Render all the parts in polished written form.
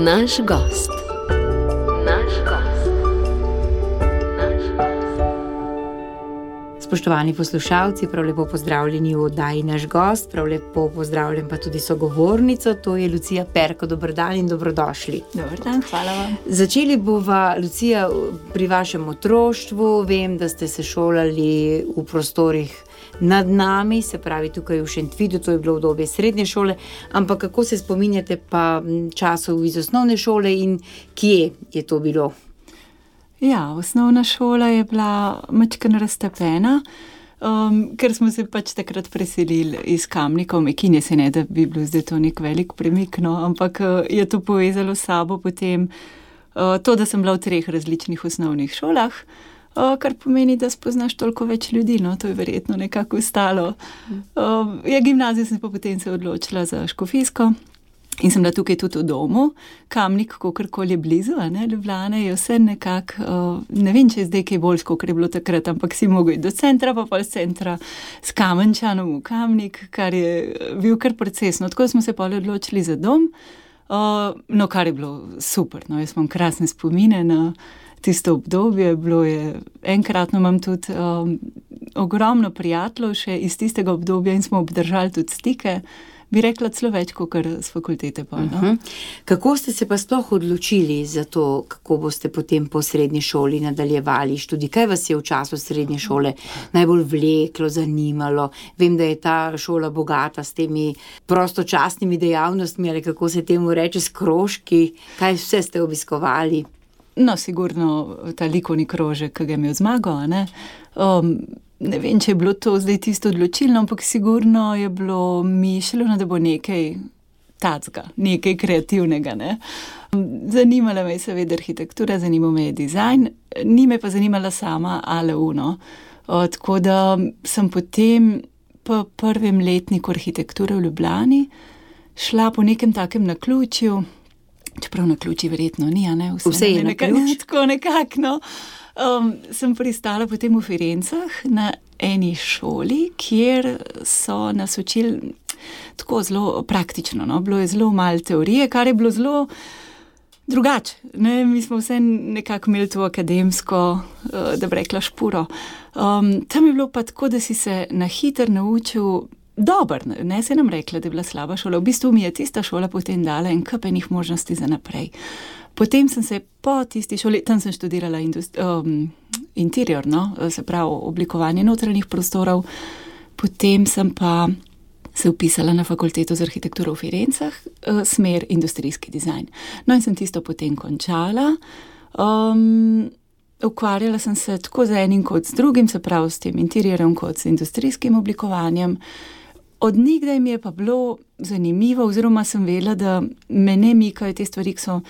Naš gost. Spoštovani poslušalci, prav lepo pozdravljeni v oddaji Naš gost, prav lepo pozdravljam pa tudi sogovornico, to je Lucija Perko. Dober dan in dobrodošli. Dober dan, hvala vam. Začeli bova, Lucija, pri vašem otroštvu. Vem, da ste se šolali v prostorih nad nami, se pravi tukaj v Šentvidu, to je bilo obdobje srednje šole, ampak kako se spominjate pa časov iz osnovne šole in kje je to bilo? Ja, osnovna šola je bila majčkeno raztepena, ker smo se pač takrat preselili iz Kamnika v Mekinje, se ne, da bi bilo zdaj to nek velik premik, no, ampak je to povezalo s sabo potem to, da sem bila v 3 različnih osnovnih šolah, kar pomeni, da spoznaš toliko več ljudi, no, to je verjetno nekako ostalo. Gimnazijo sem pa potem se odločila za Škofijsko. In sem bila tukaj tudi v domu, Kamnik, kakorkoli je blizu, ne, Ljubljane je vse nekako, ne vem, če je zdaj kaj boljš, kakor je bilo takrat, ampak si mogel iti do centra, pa pol z centra s Kamenčanom v Kamnik, kar je bil kar procesno. Tako smo se pol odločili za dom, no, kar je bilo super, no, jaz imam krasne spomine na tisto obdobje, bilo je, enkratno imam tudi ogromno prijateljev še iz tistega obdobja in smo obdržali tudi stike. Bi rekla celo več, kakor s fakultete pa, no? Kako ste se pa sploh odločili za to, kako boste potem po srednji šoli nadaljevali študij? Kaj vas je v času srednje šole najbolj vleklo, zanimalo? Vem, da je ta šola bogata s temi prostočasnimi dejavnostmi, ali kako se temu reče, s krožki. Kaj vse ste obiskovali? No, sigurno ta likovni krožek, ki ga je imel Zmago, ne? Ne vem, če je bilo to zdaj tisto odločilno, ampak sigurno je bilo mišljeno, da bo nekaj tacga, nekaj kreativnega, ne. Zanimala me je seveda arhitektura, zanimal me je dizajn, ni me pa zanimala sama ALU, no. Tako da sem potem po prvem letniku arhitekture v Ljubljani šla po nekem takem naključju, čeprav naključji verjetno ni, a ne, vse je naključ. Tako nekako, no. Sem pristala potem v Firencah na eni šoli, kjer so nas učili tako zelo praktično, no, bilo je zelo malo teorije, kar je bilo zelo drugače, ne, mi smo vse nekako imeli to akademsko, da bi rekla, špuro. Tam je bilo pa tako, da si se na hitro naučil dober, ne se nam rekla, da je bila slaba šola, v bistvu mi je tista šola potem dala en kup enih možnosti za naprej. Potem sem se po tisti šoli, tam sem študirala interior, no, se pravi oblikovanje notranjih prostorov, potem sem pa se vpisala na fakulteto za arhitekturo v Firencah, smer industrijski dizajn. No in sem tisto potem končala, ukvarjala sem se tako z enim kot z drugim, se pravi s tem interiorjem kot z industrijskim oblikovanjem. Od nikdaj mi je pa bilo zanimivo, oziroma sem vedela, da me ne mikajo te stvari, ki so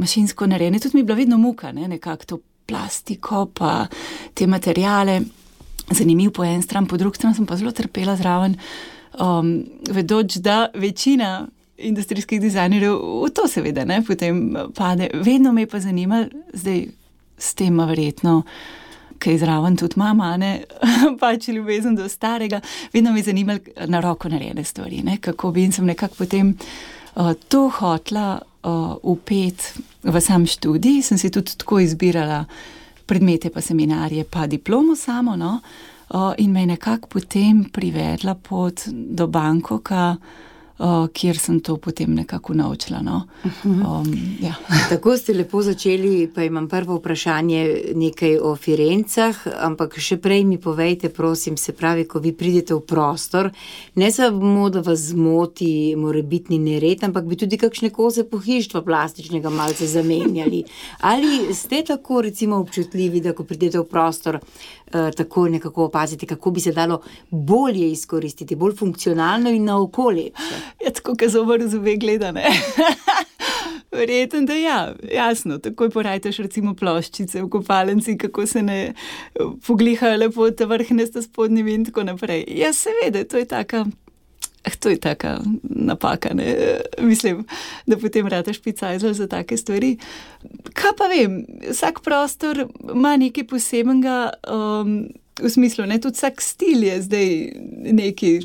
mašinsko narejene. Tudi mi je bila vedno muka, ne, nekako to plastiko, pa te materijale. Zanimiv po en stran, po drugi stran sem pa zelo trpela zraven, vedoč, da večina industrijskih dizajnerjev v to seveda, ne, potem pade. Vedno me je pa zanimalo, zdaj s tem verjetno, kaj zraven tudi mama, ne, pač ljubezen do starega, vedno me je zanimalo na roko narejene stvari, ne, kako bi, in sem nekako potem to hotela vpeti v sam študij, sem si tudi tako izbirala predmete pa seminarje pa diplomo samo, no, in me je nekako potem privedla pot do Bangkoka, kjer sem to potem nekako naučila, no. Ja. Tako ste lepo začeli, pa imam prvo vprašanje nekaj o Firencah, ampak še prej mi povejte, prosim, se pravi, ko vi pridete v prostor, ne samo, da vas zmoti morebitni nered, ampak bi tudi kakšne koze pohištva plastičnega malce zamenjali. Ali ste tako recimo občutljivi, da ko pridete v prostor, tako nekako opazite, kako bi se dalo bolje izkoristiti, bolj funkcionalno in na okolje? Ja, tako, ko zobar v zobe gleda, ne. Verjetno, da ja, jasno, takoj porajtaš recimo ploščice v kopalnici, kako se ne poglihajo lepo ta vrhnesta spodnjimi in tako naprej. Ja, seveda, to je taka napaka, ne. Mislim, da potem rataš picajzel za take stvari. Kaj pa vem, vsak prostor ima nekaj posebenega, v smislu, ne, tudi vsak stil je zdaj neki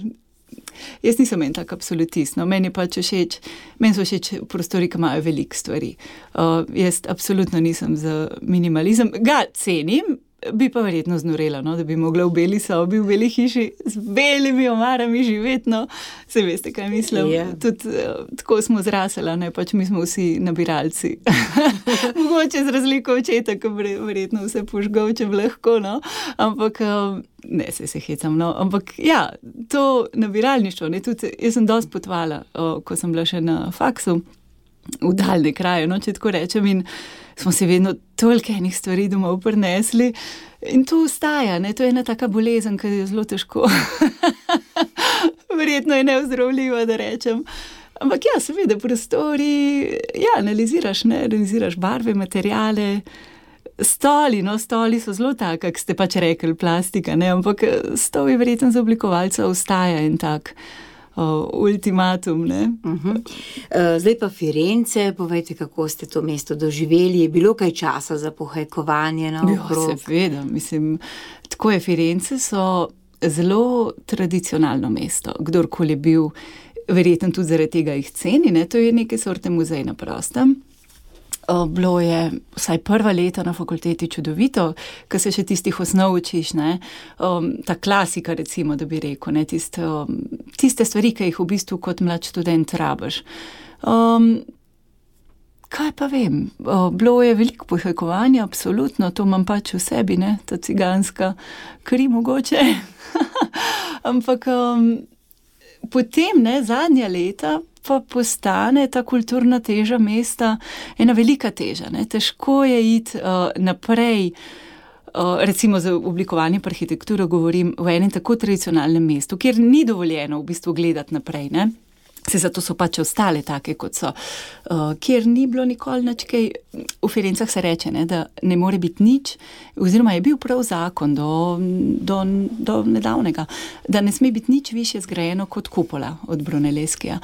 Jaz nisem en tak absolutist, no, meni so všeč prostori, ki imajo veliko stvari. Jaz absolutno nisem za minimalizem, ga cenim, bi pa verjetno znorela, no, da bi mogla v beli sobi, v beli hiši z belimi omarami živeti, no, se veste, kaj mislim. Yeah. Tudi tako smo zrasela, ne, pač mi smo vsi nabiralci. Mogoče z razliko očeta, ki verjetno vse požgal, če bi lahko, no, ampak ne, se hecam, no, ampak ja, to nabiralništvo, ne, tudi jaz sem dosti potovala, ko sem bila še na faksu, v daljne kraje, no, če tako rečem, in smo se vedno toliko enih stvari domov prinesli in to ostaja, ne, to je ena taka bolezen, ki je zelo težko. Verjetno je neozdravljiva, da rečem. Ampak ja, seveda, prostori, ja, analiziraš barve, materiale, stoli so zelo tak, kak ste pač rekli, plastika, ne, ampak stol je verjetno za oblikovalca ostaja in tak ultimatum, ne. Zdaj pa Firence, povejte, kako ste to mesto doživeli, je bilo kaj časa za pohajkovanje naokrog? Ja, seveda, mislim, tako je, Firence so zelo tradicionalno mesto, kdorkoli je bil, verjetno tudi zaradi tega jih ceni, ne, to je neke sorte muzej na prostem. Bilo je vsaj prva leta na fakulteti čudovito, ko se še tistih osnov učiš, ne, ta klasika recimo, da bi rekel, ne, tiste stvari, ki jih v bistvu kot mlad študent rabiš. Kaj pa vem, bilo je veliko pohajkovanja, absolutno, to imam pač v sebi, ne, ta ciganska kri mogoče, ampak potem, ne, zadnja leta pa postane ta kulturna teža mesta ena velika teža, ne, težko je iti naprej, recimo za oblikovanje arhitekture govorim v enem tako tradicionalnem mestu, kjer ni dovoljeno v bistvu gledati naprej, ne. Se zato so pač ostale take, kot so, kjer ni bilo nikoli nič kaj, v Firencah se reče, ne, da ne more biti nič, oziroma je bil prav zakon do nedavnega, da ne sme biti nič višje zgrajeno kot kupola od Brunellesquija.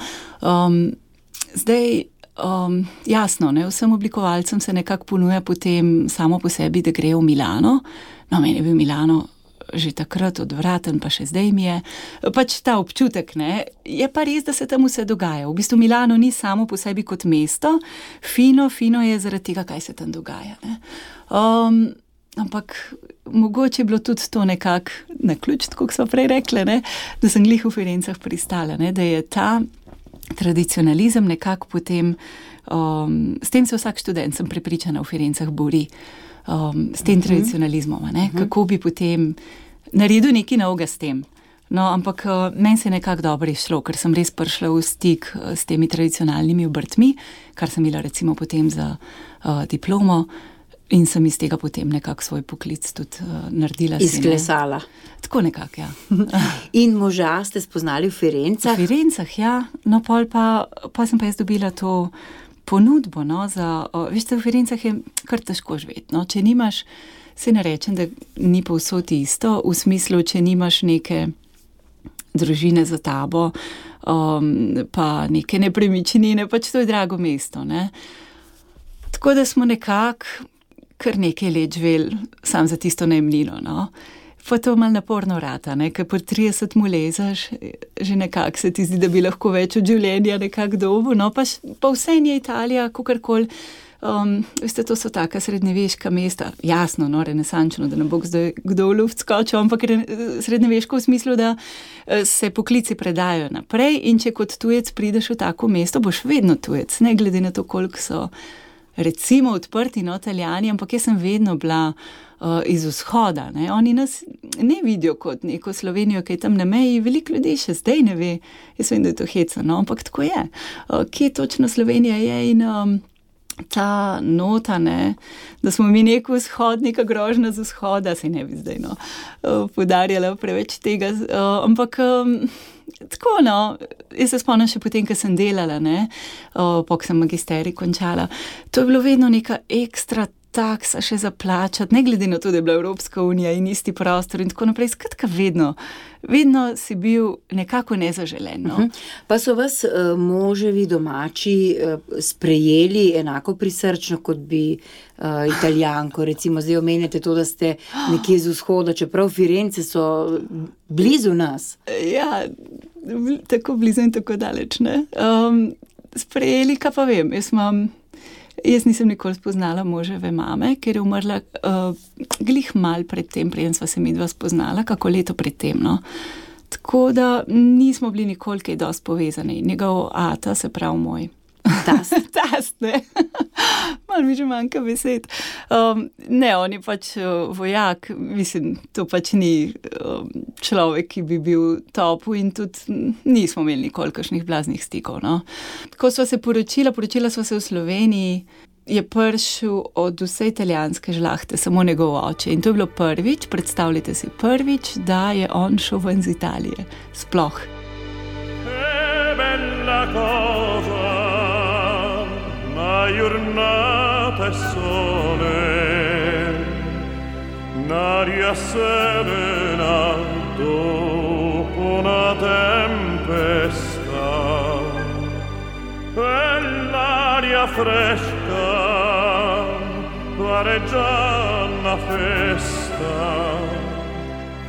Zdaj, jasno, ne, vsem oblikovalcem se nekako ponuja potem samo po sebi, da grejo v Milano, no, meni je bil Milano že takrat odvraten, pa še zdaj mi je, pač ta občutek, ne, je pa res, da se tam vse dogaja. V bistvu Milano ni samo po sebi kot mesto, fino je zaradi tega, kaj se tam dogaja, ne. Ampak mogoče je bilo tudi to nekako naključ, tako kot smo prej rekli, ne, da sem glih v Firencah pristala, ne, da je ta tradicionalizem nekako potem, s tem se vsak študent, sem prepričana, v Firencah bori, s tem tradicionalizmom, ne? Kako bi potem naredil nekaj novega s tem. No, ampak meni se je nekako dobro išlo, ker sem res prišla v stik s temi tradicionalnimi obrtmi, kar sem imela recimo potem za diplomo in sem iz tega potem nekako svoj poklic tudi naredila. Izklesala. Tako nekako, ja. In moža ste spoznali v Firencah? V Firencah, ja. No, pol pa sem pa jaz dobila to ponudbo, no, veste, v Firencah je kar težko živeti, no, če nimaš, se ne rečem, da ni povsod isto, v smislu, če nimaš neke družine za tabo, pa neke nepremičnine, pač to je drago mesto, ne. Tako da smo nekako kar nekaj let živeli sam za tisto najemnino, no. Pa to malo naporno rata, ne, ker po 30 mu lezaš, že nekako se ti zdi, da bi lahko več od življenja nekako dobil, no, pa vse je Italija, kakorkoli, veste, to so taka srednjeveška mesta, jasno, no, renesančno, da ne bo kdo v luft skočil, ampak srednjeveško v smislu, da se poklici predajo naprej in če kot tujec prideš v tako mesto, boš vedno tujec, ne glede na to, koliko so recimo odprti, no, Italijani, ampak jaz sem vedno bila iz vzhoda, ne, oni nas ne vidijo kot neko Slovenijo, ki je tam na meji, veliko ljudi še zdaj ne ve, jaz vem, da je to heca, no, ampak tako je. Kje točno Slovenija je in ta nota, ne, da smo mi neko vzhod, neka grožnja z vzhoda, se ne bi zdaj, no, poudarjala preveč tega, ampak tako, no, jaz se spomnim še potem, ko sem delala, ne, ko sem magisterij končala, to je bilo vedno neka ekstra taksa še za plačati, ne glede na to, da je bila Evropska unija in isti prostor in tako naprej, skratka vedno si bil nekako nezaželen, no. Pa so vas moževi domači sprejeli enako prisrčno, kot bi Italijanko, recimo zdaj omenjate to, da ste nekje z vzhoda, čeprav Firence so blizu nas. Ja, tako blizu in tako daleč, ne. Sprejeli, kaj pa vem, jaz nisem nikoli spoznala moževe mame, ker je umrla glih mal pred tem, preden sva se midva spoznala, kako leto pred tem, no. Tako da nismo bili nikoli kaj dosti povezani. Njegov ata, se pravi moj tast, ne. Malo mi že manjka besed. Ne, on je pač vojak, mislim, to pač ni človek, ki bi bil topu in tudi nismo imeli nikoli kakšnih blaznih stikov, no. Ko sva se poročila sva se v Sloveniji, je prišel od vse italijanske žlahte samo njegov oče in to je bilo prvič, predstavljajte si prvič, da je on šel ven z Italije. Sploh. Giornata e sole, n'aria serena dopo una tempesta, e l'aria fresca pare già una festa.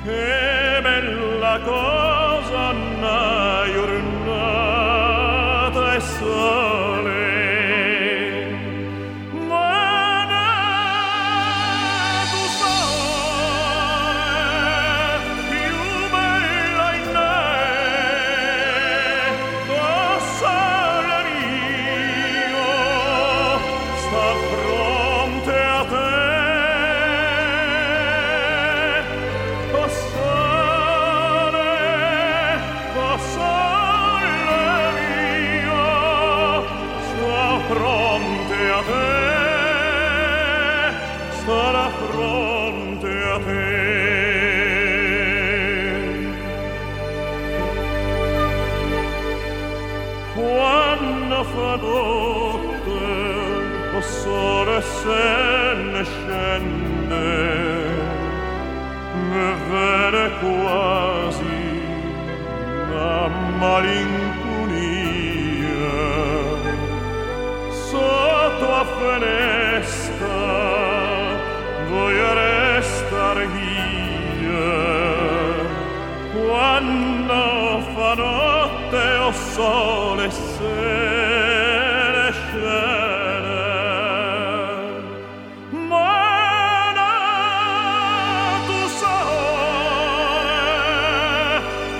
Che bella cosa una giornata e sole. Fa notte, o sole se ne scende, mi viene quasi una malinconia. Sotto a finestra voglio restar via, quando fa notte o sole se ne scende. Ma tu sole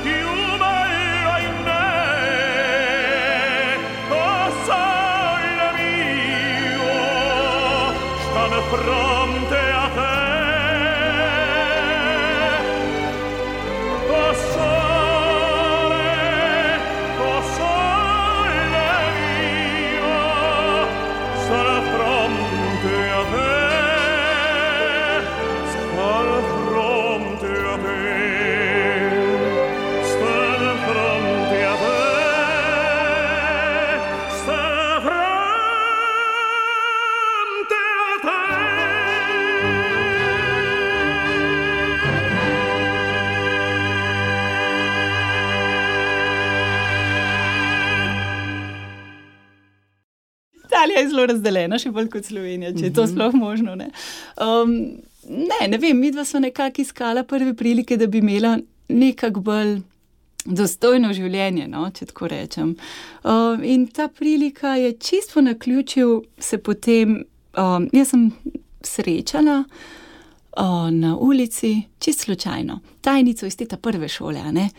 più bella in me, o sole mio, stanno fronte a te. O sole mio, sarà fronte a te, sarà fronte a te, sarà fronte a te, sarà fronte a te. Italija je zelo razdeljena, še bolj kot Slovenija, če je to sploh možno, ne. Ne vem, midva sva nekako iskala prve prilike, da bi imela nekako bolj dostojno življenje, no, če tako rečem. In ta prilika je čisto po naključju se potem, jaz sem srečala na ulici, čisto slučajno, tajnico iz te prve šole, a ne.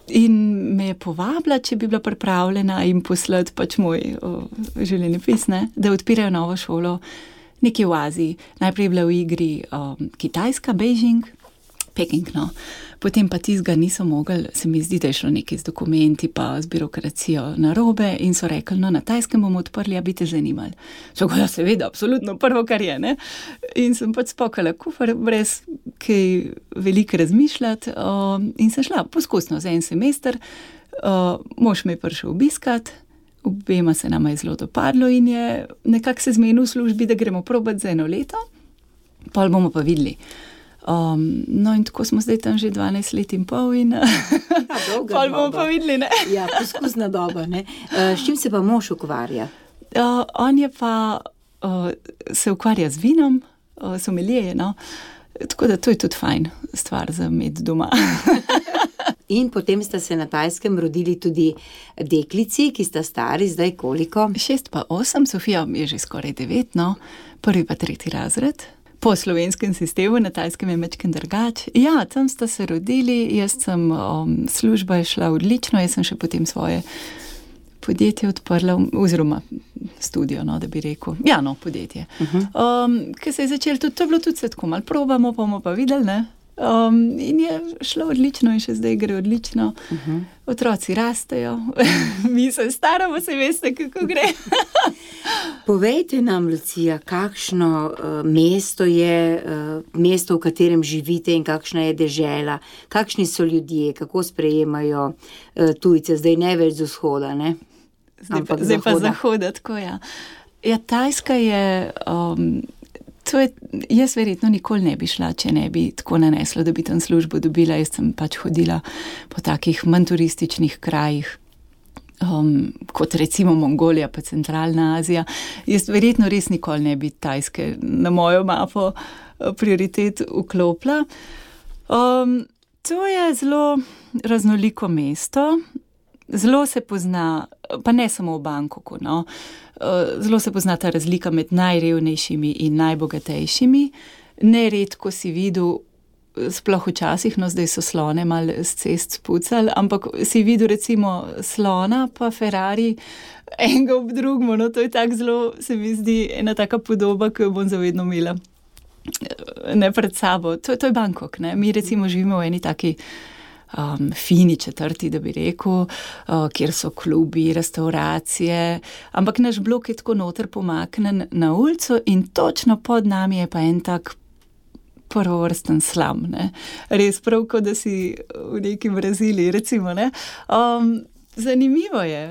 In me je povabila, če bi bila pripravljena jim poslati pač moj življenjepis, ne, da odpirajo novo šolo nekje v Aziji. Najprej je bila v igri Kitajska, Beijing, Peking, no. Potem pa tistega niso mogli, se mi zdi, da je šlo nekaj z dokumenti pa z birokracijo narobe in so rekli, no, na Tajskem bomo odprli, a bi te zanimali. So ga, ja, seveda, absolutno, prvo, kar je, ne. In sem pač spakala kufer brez kaj veliko razmišljati in sem šla poskusno za en semester. Mož me je prišel obiskat, obema se nama je zelo dopadlo in je nekako se zmenil v službi, da gremo probati za 1 leto, pol bomo pa videli. No in tako smo zdaj tam že 12 let in pol in pol bomo pa videli, ne. Ja, poskusna doba, ne. S čim se pa mož ukvarja? On je pa se ukvarja z vinom, sommelier, no. Tako da to je tudi fajn stvar za imeti doma. In potem sta se na Tajskem rodili tudi deklici, ki sta stari zdaj koliko? 6 pa 8, Sofija je že skoraj 9, no, 1. pa 3. razred. Po slovenskem sistemu, na Tajskem je majčkeno drugače. Ja, tam sta se rodili, služba je šla odlično, jaz sem še potem svoje podjetje odprla, oziroma studio, no, da bi rekel. Ja, no, podjetje. Ker se je začelo, to je bilo tudi tako, malo probamo, bomo pa videli, ne. In je šlo odlično in še zdaj gre odlično. Otroci rastejo, mi se staramo, se veste, kako gre. Povejte nam, Lucija, kakšno mesto je, mesto, v katerem živite in kakšna je dežela, kakšni so ljudje, kako sprejemajo tujce, zdaj ne več z vzhoda, ne? Zdaj pa zahoda, tako ja. Ja, Tajska je, jaz verjetno nikoli ne bi šla, če ne bi tako naneslo, da bi tam službo dobila. Jaz sem pač hodila po takih manj turističnih krajih, kot recimo Mongolija pa Centralna Azija. Jaz verjetno res nikoli ne bi Tajske na mojo mapo prioritet vklopila. To je zelo raznoliko mesto. Zelo se pozna, pa ne samo v Bangkoku, no, zelo se pozna ta razlika med najrevnejšimi in najbogatejšimi. Neredko si videl, sploh včasih, no zdaj so slone malo s cest spucali, ampak si videl recimo slona pa Ferrari enega ob drugemu, no to je tako zelo, se mi zdi, ena taka podoba, ki jo bom zavedno imela ne pred sabo. To je Bangkok, ne. Mi recimo živimo v eni taki fini četrti, da bi rekel, kjer so klubi, restauracije, ampak naš blok je tako noter pomaknen na ulico in točno pod nami je pa en tak prvovrsten slam, ne. Res prav, kot da si v neki Braziliji, recimo, ne. Zanimivo je,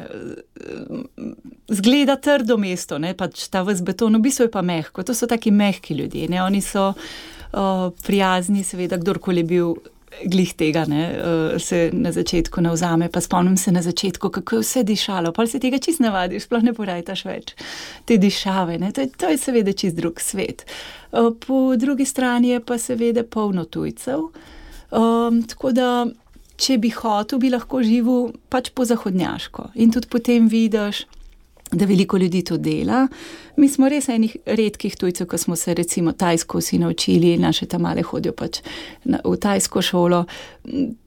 zgleda trdo mesto, ne, pač ta ves beton, v bistvu je pa mehko, to so taki mehki ljudje, ne, oni so prijazni, seveda, kdorkoli je bil glih tega, ne, se na začetku navzame, pa spomnim se na začetku, kako je vse dišalo, pol se tega čist navadiš, sploh ne porajtaš več te dišave, ne, to je seveda čist drug svet. Po drugi strani je pa seveda polno tujcev, tako da, če bi hotel, bi lahko živel pač po zahodnjaško in tudi potem vidiš, da veliko ljudi to dela. Mi smo res enih redkih tujcev, ko smo se recimo tajsko vsi naučili, naše tamale hodijo pač v tajsko šolo.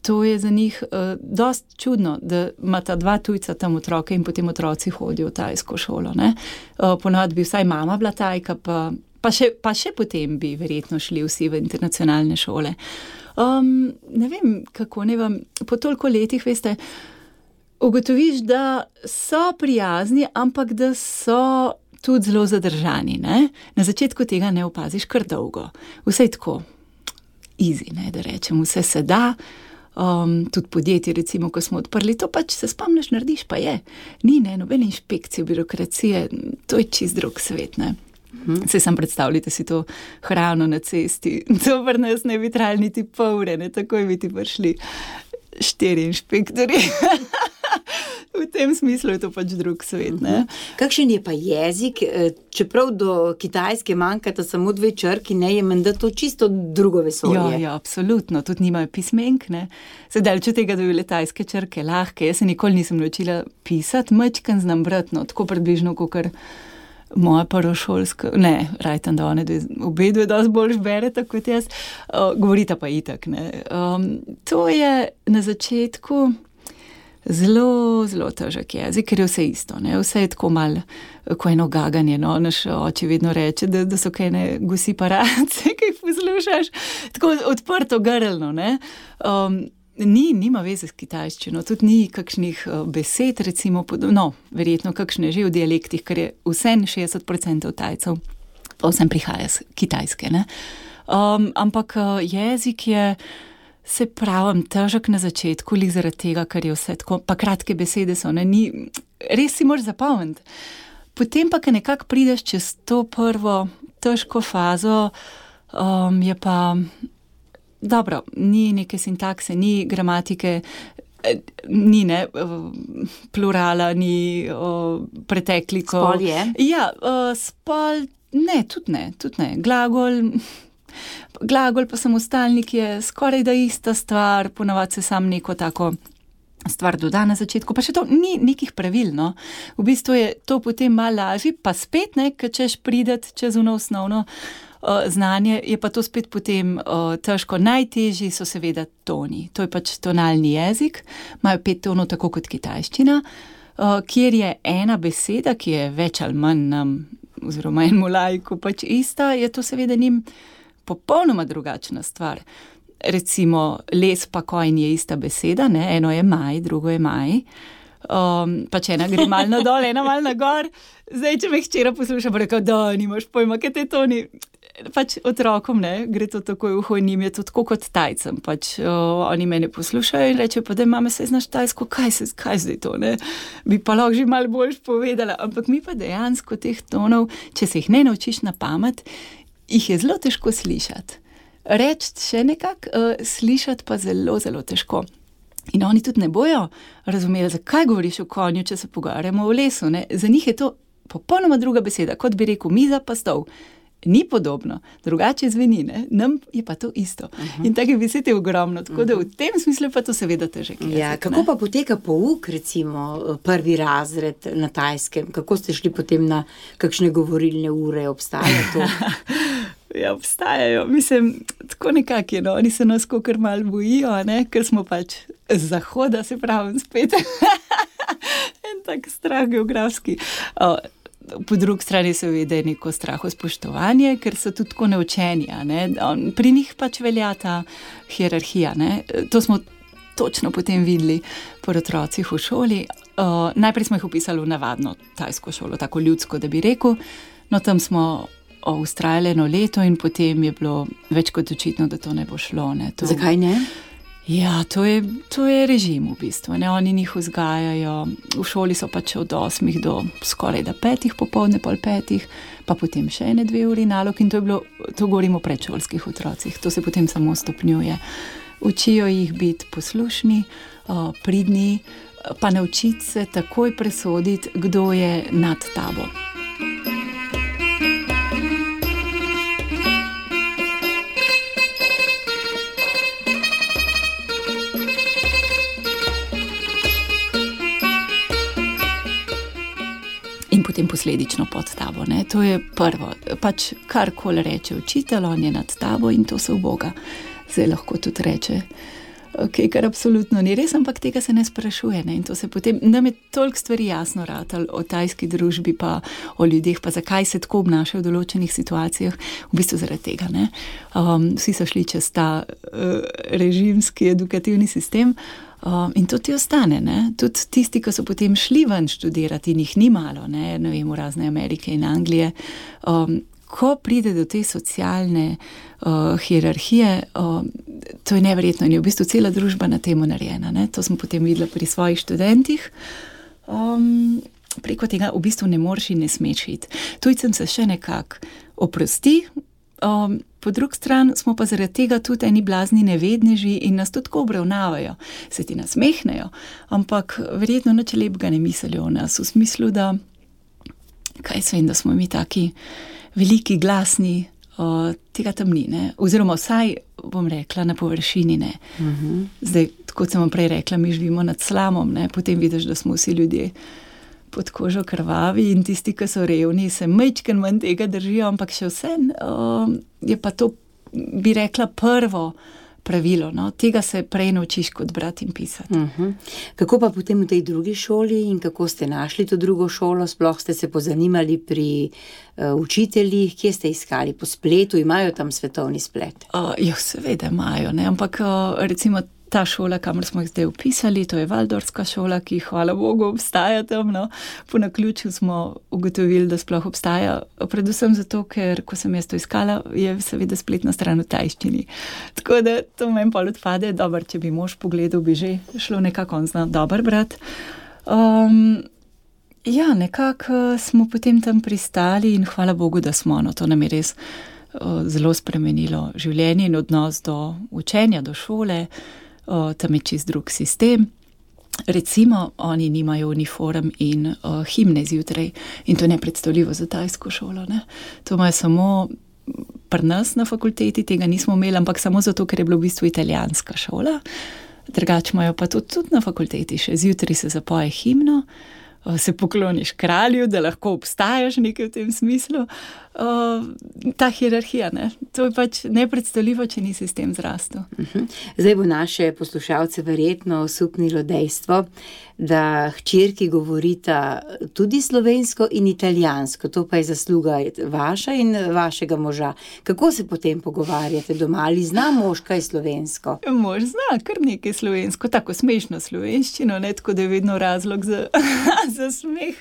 To je za njih dosti čudno, da ima ta 2 tujca tam otroke in potem otroci hodijo v tajsko šolo, ne. Ponavadi bi vsaj mama bila Tajka, pa še potem bi verjetno šli vsi v internacionalne šole. Ne vem, kako ne vam, po toliko letih, veste, ugotoviš, da so prijazni, ampak da so tudi zelo zadržani, ne. Na začetku tega ne opaziš kar dolgo. Vse je tako easy, ne, da rečem, vse se da. Tudi podjetje, recimo, ko smo odprli, to pač se spomniš, narediš, pa je. Ni, ne, nobene inšpekcije, birokracije, to je čist drug svet, ne. Saj sam predstavljate si to hrano na cesti, to pri nas ne bi trajali niti pol ure, ne, takoj bi ti prišli 4 inšpektorji. V tem smislu je to pač drug svet, ne. Kakšen je pa jezik, čeprav do kitajske manjkata samo 2 črki, ne, je menda to čisto drugo vesolje. Ja, absolutno, tudi nimajo pismenk, ne. Se daleč od tega, da bi bile tajske črke lahke, jaz se nikoli nisem naučila pisati, majčkeno znam brati, no, tako približno, kakor moja prvošolska, ne, rajtam, da one obe dve dosti bolj bereta kot jaz, govorita pa itak, ne. To je na začetku zelo, zelo težek jezik, ker je vse isto, ne, vse je tako malo, ko eno gaganje, no, naš oči vedno reče, da so kajne gusi parace, ki jih poslušaš, tako odprto grlno, ne. Nima veze s kitajščino, tudi ni kakšnih besed, recimo, no, verjetno kakšne že v dialektih, ker je vsem 60% Tajcev, pa vsem prihaja z kitajske, ne. Ampak jezik je, se pravim, težek na začetku, lih zaradi tega, ker je vse tako, pa kratke besede so, ne, res si moraš zapomniti. Potem pa, ko nekako prideš čez to prvo težko fazo, je pa dobro, ni neke sintakse, ni gramatike, ni, ne, plurala, ni pretekliko. Spol je? Ja, spol, ne, tudi ne, glagol, Glagol pa samostalnik je skoraj da ista stvar, ponavadi se sam neko tako stvar doda na začetku, pa še to ni nekih pravil, no. V bistvu je to potem malo lažje, pa spet, ne, ker češ prideti čez ono osnovno znanje, je pa to spet potem težko. Najtežji so seveda toni. To je pač tonalni jezik, imajo 5 tonov, tako kot kitajščina, kjer je ena beseda, ki je več ali manj nam, oziroma enemu laiku pač ista, je to seveda njim popolnoma drugačna stvar. Recimo, les pa kojn je ista beseda, ne? Eno je maj, drugo je maj. Pač ena gre malo na dol, ena malo na gor. Zdaj, če me hčera posluša, bo rekel, da nimaš pojma, kaj te toni. Pač otrokom, ne, gre to takoj v uho in njim je to tako kot Tajcem. Pač oni mene poslušajo in rečejo, pa da mame, se znaš tajsko, kaj zdaj to, ne? Bi pa lahko že malo boljš povedala, ampak mi pa dejansko teh tonov, če se jih ne naučiš na pamet, jih je zelo težko slišati. Reči še nekako, slišati pa zelo, zelo težko. In oni tudi ne bojo razumeli, zakaj govoriš o konju, če se pogovarjamo o lesu, ne? Za njih je to popolnoma druga beseda, kot bi rekel miza pa stol. Ni podobno, drugače zveni, ne? Nam je pa to isto. In take besede je ogromno, tako da v tem smislu pa to seveda težek jezik. Ja, kako pa poteka pouk, recimo, prvi razred na Tajskem? Kako ste šli potem na kakšne govorilne ure? Obstaja to? Ja, obstajajo. Mislim, tako nekak je, no. Oni se nas kakor malo bojijo, ne? Ker smo pač z zahoda, se pravim, spet. En tak strah geografski. Po drugi strani seveda je neko strahospoštovanje, ker so tudi tako neučeni, ne? Pri njih pač velja ta hierarhija, ne? To smo točno potem videli pri otrocih v šoli. Najprej smo jih upisali v navadno tajsko šolo, tako ljudsko, da bi rekel. No, tam smo ustrajali 1 leto in potem je bilo več kot očitno, da to ne bo šlo, ne? Zakaj ne? Ja, to je režim v bistvu, ne, oni njih vzgajajo, v šoli so pač od 8 do skoraj da 5 popoldne, pol 5, pa potem še 1-2 uri nalog in to govorimo o predšolskih otrocih, to se potem samo stopnjuje. Učijo jih biti poslušni, pridni, pa naučiti se takoj presoditi, kdo je nad tabo. In potem posledično pod tabo, ne? To je prvo. Pač karkoli reče učitelj, on je nad tabo in to se uboga. Zdaj lahko tudi reče, kar absolutno ni res, ampak tega se ne sprašuje, ne? In to se potem, nam je toliko stvari jasno ratalo o tajski družbi pa o ljudeh, pa zakaj se tako obnašajo v določenih situacijah, v bistvu zaradi tega, ne? Vsi so šli čez ta režimski edukativni sistem, in to ti ostane, ne? Tudi tisti, ki so potem šli ven študirati in jih ni malo, ne vem, v razne Amerike in Anglije, ko pride do te socialne hierarhije, to je neverjetno in je v bistvu cela družba na temu narejena, ne? To smo potem videli pri svojih študentih. Preko tega v bistvu ne moreš in ne smeš iti. Tujcem se še nekako oprosti, po drugi strani smo pa zaradi tega tudi eni blazni nevedneži in nas tudi tako obravnavajo. Se ti nasmehnejo, ampak verjetno nič lepega ne mislijo o nas, v smislu, da kaj se vem, da smo mi taki veliki, glasni, tega tam ni, ne? Oziroma vsaj, bom rekla, na površini, ne. Zdaj, kot sem vam prej rekla, mi živimo nad slamom, ne? Potem vidiš, da smo vsi ljudje pod kožo krvavi in tisti, ki so revni, se majčken manj tega držijo, ampak še vse je pa to, bi rekla, prvo pravilo, no? Tega se prej naučiš kot brati in pisati. Kako pa potem v tej drugi šoli in kako ste našli to drugo šolo? Sploh ste se pozanimali pri učiteljih, kje ste iskali? Po spletu, imajo tam svetovni splet? Ja, seveda imajo, ne? Ampak recimo ta šola, kamor smo jih zdaj upisali, to je Valdorska šola, ki hvala Bogu obstaja tam, no. Po naključju smo ugotovili, da sploh obstaja, predvsem zato, ker ko sem jaz to iskala, je seveda spletna stran v tajščini. Tako da to meni pol odpade, dobro, če bi mož pogledal, bi že šlo nekako, on zna dober brat. Ja, nekako smo potem tam pristali in hvala Bogu, da smo, no, to nam je res zelo spremenilo življenje in odnos do učenja, do šole. Tam je čist drug sistem. Recimo, oni nimajo uniform in himne zjutraj in to je nepredstavljivo za tajsko šolo, ne. To imajo samo pri nas na fakulteti tega nismo imeli, ampak samo zato, ker je bilo v bistvu italijanska šola. Drugače imajo pa tudi na fakulteti še zjutraj se zapoje himno, se pokloniš kralju, da lahko obstajaš nekaj v tem smislu. Ta hierarhija, ne? To je pač nepredstavljivo, če nisi s tem zrastel. Zdaj bo naše poslušalce verjetno osupnilo dejstvo, da hčerki govorita tudi slovensko in italijansko. To pa je zasluga vaša in vašega moža. Kako se potem pogovarjate doma? Ali zna mož kaj slovensko? Mož zna kar nekaj slovensko, tako smešno slovenščino, ne, tako da je vedno razlog za smeh.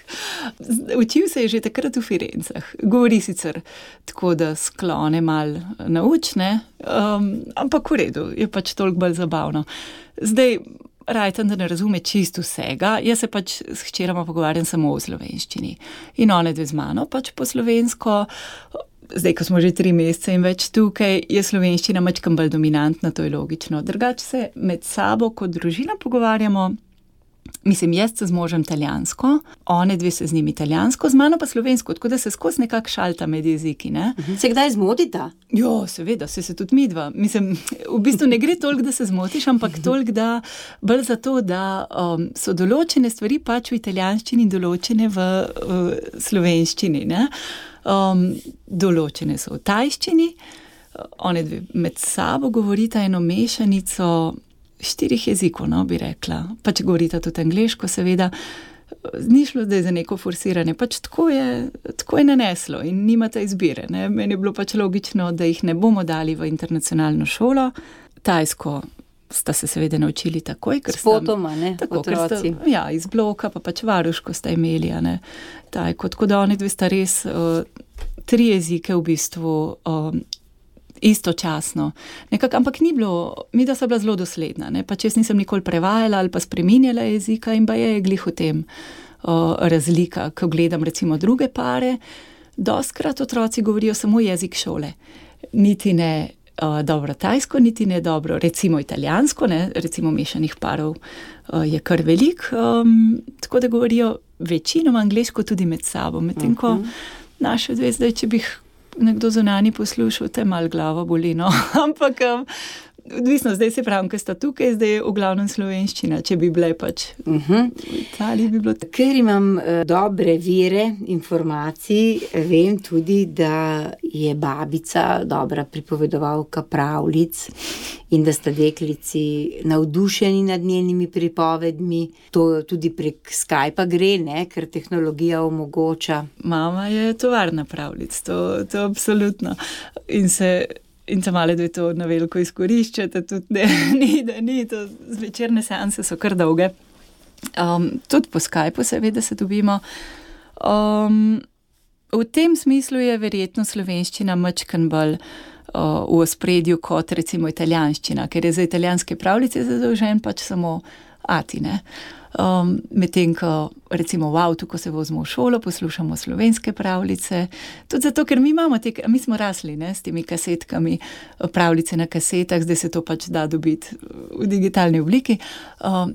Učil se je že takrat v Firencah. Govori sicer tako, da sklone malo naučne, ampak v redu, je pač toliko bolj zabavno. Zdaj, Rajten, da ne razume čisto vsega, jaz se pač s hčerama pogovarjam samo v slovenščini. In one dve z mano pač po slovensko. Zdaj, ko smo že 3 mesece in več tukaj, je slovenščina majčkeno bolj dominantna, to je logično. Drugače se med sabo kot družina pogovarjamo. Mislim, jaz se z možem italijansko, one dve se z njim italijansko, z mano pa slovensko, tako da se skozi nekako šalta med jeziki, ne? Se kdaj zmotita? Jo, seveda, se tudi midva. Mislim, v bistvu ne gre toliko, da se zmotiš, ampak toliko, da bolj zato, da so določene stvari pač v italijanščini, določene v slovenščini, ne? Določene so v tajščini, one dve med sabo govorita eno mešanico 4 jezikov, no, bi rekla. Pač govorita tudi angleško, seveda. Ni šlo zdaj za neko forsiranje, pač tako je naneslo in nimate izbire, ne. Meni je bilo pač logično, da jih ne bomo dali v internacionalno šolo. Tajsko sta se seveda naučili takoj, ker sta... Spotoma, ne, tako, otroci. Ja, iz bloka, pa pač varuško sta imeli, ne. Tako da oni dve sta res 3 jezike v bistvu istočasno. Nekako, ampak ni bilo, mi da sta bila zelo dosledna, ne, pač jaz nisem nikoli prevajala ali pa spreminjala jezika in pa je glih v tem razlika, ko gledam recimo druge pare, dostikrat otroci govorijo samo jezik šole. Niti ne dobro tajsko, niti ne dobro recimo italijansko, ne, recimo mešanih parov je kar velik, tako da govorijo večinoma angleško tudi med sabo, medtem ko naše dve zdaj, če bi nekdo zunanji poslušal, te malo glavo boli, no, ampak odvisno, zdaj se pravim, ker sta tukaj, zdaj je v glavnem slovenščina, če bi bile pač v Italiji bi bilo tako. Ker imam dobre vire informacij, vem tudi, da je babica dobra pripovedovalka pravljic in da sta deklici navdušeni nad njenimi pripovedmi. To tudi prek Skypa gre, ne, ker tehnologija omogoča. Mama je tovarna pravljic, to absolutno. In ta male dve to na veliko izkoriščate, tudi ni, to zvečerne seanse so kar dolge. Tudi po Skypu seveda se dobimo. V tem smislu je verjetno slovenščina majčkeno bolj v ospredju kot recimo italijanščina, ker je za italijanske pravljice zadolžen pač samo ati, ne. Medtem ko recimo v avtu, ko se vozimo v šolo, poslušamo slovenske pravljice, tudi zato, ker mi smo rasli, ne, s temi kasetkami, pravljice na kasetah, zdaj se to pač da dobiti v digitalni obliki.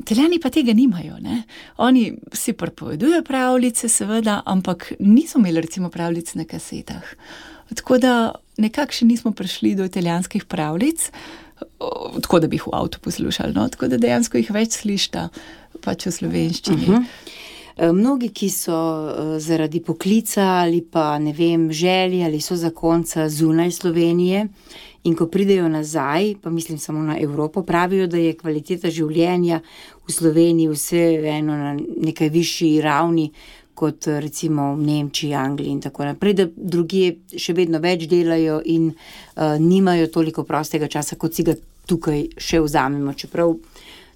Italijani pa tega nimajo, ne. Oni si pripovedujejo pravljice, seveda, ampak niso imeli recimo pravljic na kasetah. Tako da nekako še nismo prišli do italijanskih pravljic, tako da bi jih v avtu poslušali, no, tako da dejansko jih več slišta pač v slovenščini. Mnogi, ki so zaradi poklica ali pa, ne vem, želje ali so zakonca zunaj Slovenije in ko pridejo nazaj, pa mislim samo na Evropo, pravijo, da je kvaliteta življenja v Sloveniji vseeno na nekaj višji ravni kot recimo v Nemčiji, Angliji in tako naprej, da drugje še vedno več delajo in nimajo toliko prostega časa, kot si ga tukaj še vzamemo, čeprav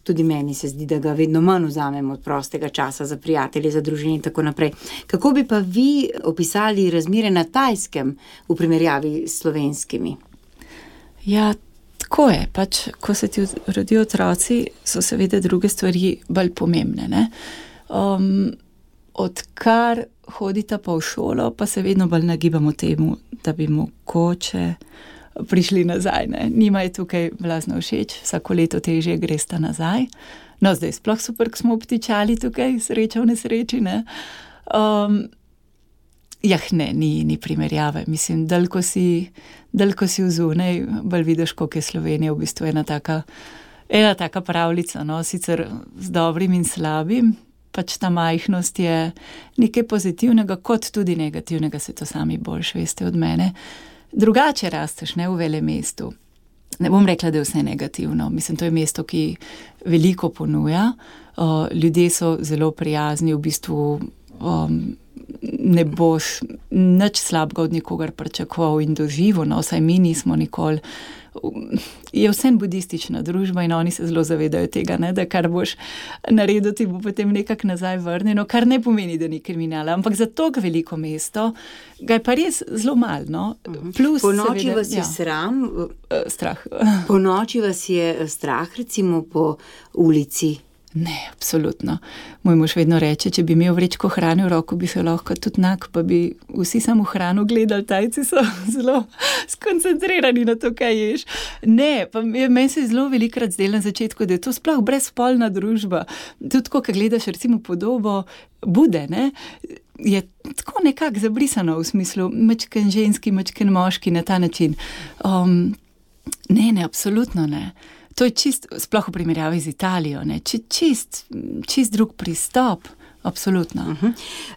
tudi meni se zdi, da ga vedno manj vzamemo od prostega časa za prijatelje, za družine in tako naprej. Kako bi pa vi opisali razmere na Tajskem v primerjavi s slovenskimi? Ja, tako je. Pač, ko se ti rodijo otroci, so seveda druge stvari bolj pomembne, ne. Odkar hodita pa v šolo, pa se vedno bolj nagibamo temu, da bi mogoče prišli nazaj, ne. Njima je tukaj blazno všeč, vsako leto težje gresta nazaj. No, zdaj sploh super, ko smo obtičali tukaj, sreča v nesreči, ne. Ne, ni primerjave. Mislim, dalj ko si vzunaj, bolj vidiš, koliko je Slovenija v bistvu ena taka pravljica, no, sicer z dobrim in slabim, pač ta majhnost je nekaj pozitivnega, kot tudi negativnega, se to sami boljše veste od mene. Drugače rasteš, ne, v velemestu. Ne bom rekla, da je vse negativno. Mislim, to je mesto, ki veliko ponuja. Ljudje so zelo prijazni, v bistvu ne boš nič slabega od nikogar pričakoval in doživel, no, vsaj mi nismo nikoli. Je vsem budistična družba in oni se zelo zavedajo tega, ne, da kar boš naredil, ti bo potem nekako nazaj vrnjeno, kar ne pomeni, da ni kriminala, ampak za to veliko mesto ga je pa res zelo malo, no. Plus, po noči seveda, vas je sram? Strah. Po noči vas je strah, recimo po ulici? Ne, absolutno. Moj mož vedno reče, če bi imel vrečko hrane v roko, bi se lahko tudi nak, pa bi vsi samo hrano gledali, Tajci so zelo skoncentrirani na to, kaj ješ. Ne, pa meni se je zelo velikrat zdelo na začetku, da je to sploh brezspolna družba. Tudi ko gledaš recimo podobo Bude, ne, je tako nekako zabrisano v smislu majčken ženski, majčken moški na ta način. Ne, absolutno ne. To je čist, sploh v primerjavi z Italijo, ne, čist drug pristop, absolutno.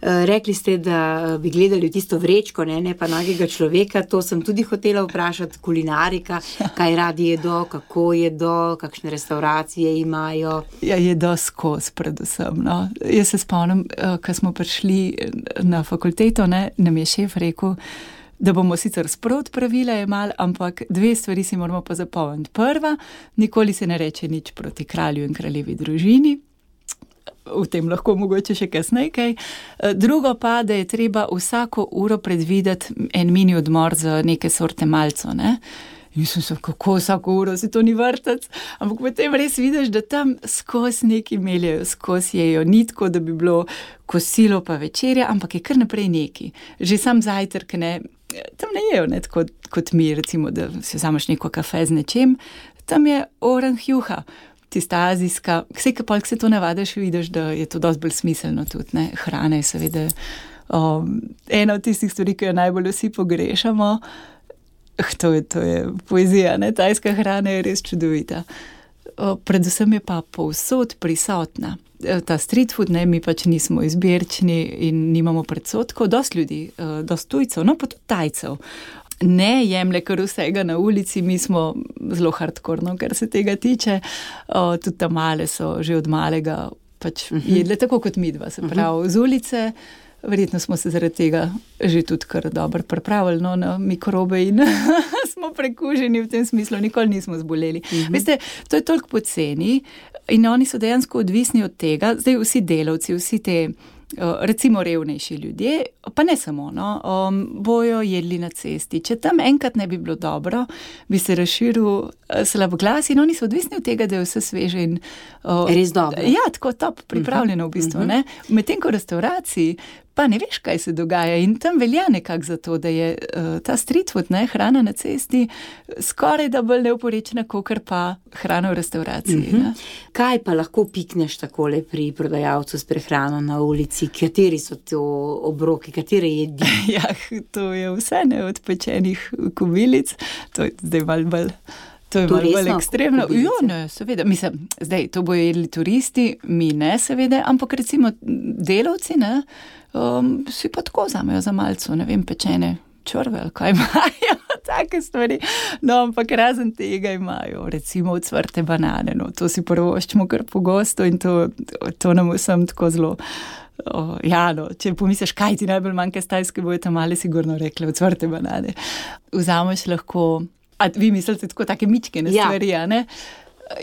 Rekli ste, da bi gledali tisto vrečko, ne pa nagega človeka, to sem tudi hotela vprašati, kulinarika, kaj radi jedo, kako jedo, kakšne restauracije imajo. Ja, jedo skozi predvsem, no. Jaz se spomnim, ko smo prišli na fakulteto, ne, nam je šef rekel, da bomo sicer sprot pravila jemali, ampak 2 stvari si moramo pa zapomniti. Prva, nikoli se ne reče nič proti kralju in kraljevi družini, v tem lahko mogoče še kasneje kaj. Drugo pa, da je treba vsako uro predvideti en mini odmor za neke sorte malco, ne. In sem kako vsako uro, si to ni vrtec, ampak potem res vidiš, da tam skozi neki meljajo, skozi jejo, ni tako, da bi bilo kosilo pa večerja, ampak je kar naprej neki. Že sam zajtrk, ne, tam ne jejo, ne, tako kot mi, recimo, da si vzameš neko kafe z nečem, tam je orang juha, tista azijska, vse kapolk se to navadiš, vidiš, da je to dosti bolj smiselno tudi, ne, hrana je seveda ena od tistih stvari, ki jo najbolj vsi pogrešamo. To je poezija, ne, tajska hrana je res čudovita. Predvsem je pa povsod prisotna. Ta street food, ne, mi pač nismo izbirčni in nimamo predsotkov, dosti ljudi, dosti tujcev, no pa tudi Tajcev. Ne jemlje kar vsega na ulici, mi smo zelo hardkorno, kar se tega tiče. Tudi tam male so že od malega pač jedle tako kot midva, se pravi z ulice. Verjetno smo se zaradi tega že tudi kar dobro pripravili, no, na mikrobe in smo prekuženi v tem smislu, nikoli nismo zboleli. Veste, to je toliko poceni in oni so dejansko odvisni od tega, zdaj vsi delavci, vsi te recimo revnejši ljudje, pa ne samo, no, bojo jedli na cesti. Če tam enkrat ne bi bilo dobro, bi se razširil slab glas in oni so odvisni od tega, da je vse sveže in res dobro. Ja, tako top pripravljeno v bistvu, ne. Medtem ko v restauraciji pa ne veš, kaj se dogaja in tam velja nekako za to, da je ta street food, ne, hrana na cesti, skoraj da bolj neoporečna, kakor pa hrana v restauraciji. Kaj pa lahko pikneš takole pri prodajalcu s prehrano na ulici? Kateri so to obroki, katere jedi? Ja, to je vse, ne, od pečenih kobilic, to je zdaj bolj To je malo bolj ekstremno. Jo, ne, seveda. Mislim, zdaj, to bojo jedli turisti, mi ne, seveda, ampak recimo delavci, ne, si pa tako vzamejo za malco, ne vem, pečene čorve ali kaj imajo, take stvari. No, ampak razen tega imajo, recimo ocvrte banane, no, to si prvoščimo kar pogosto in to nam vsem tako zelo. Ja, no, če pomisliš, kaj ti najbolj manjka s Tajske, bojo tam male sigurno rekli, ocvrte banane. Vzameš lahko. A vi mislite tako take mičkene stvari, ne?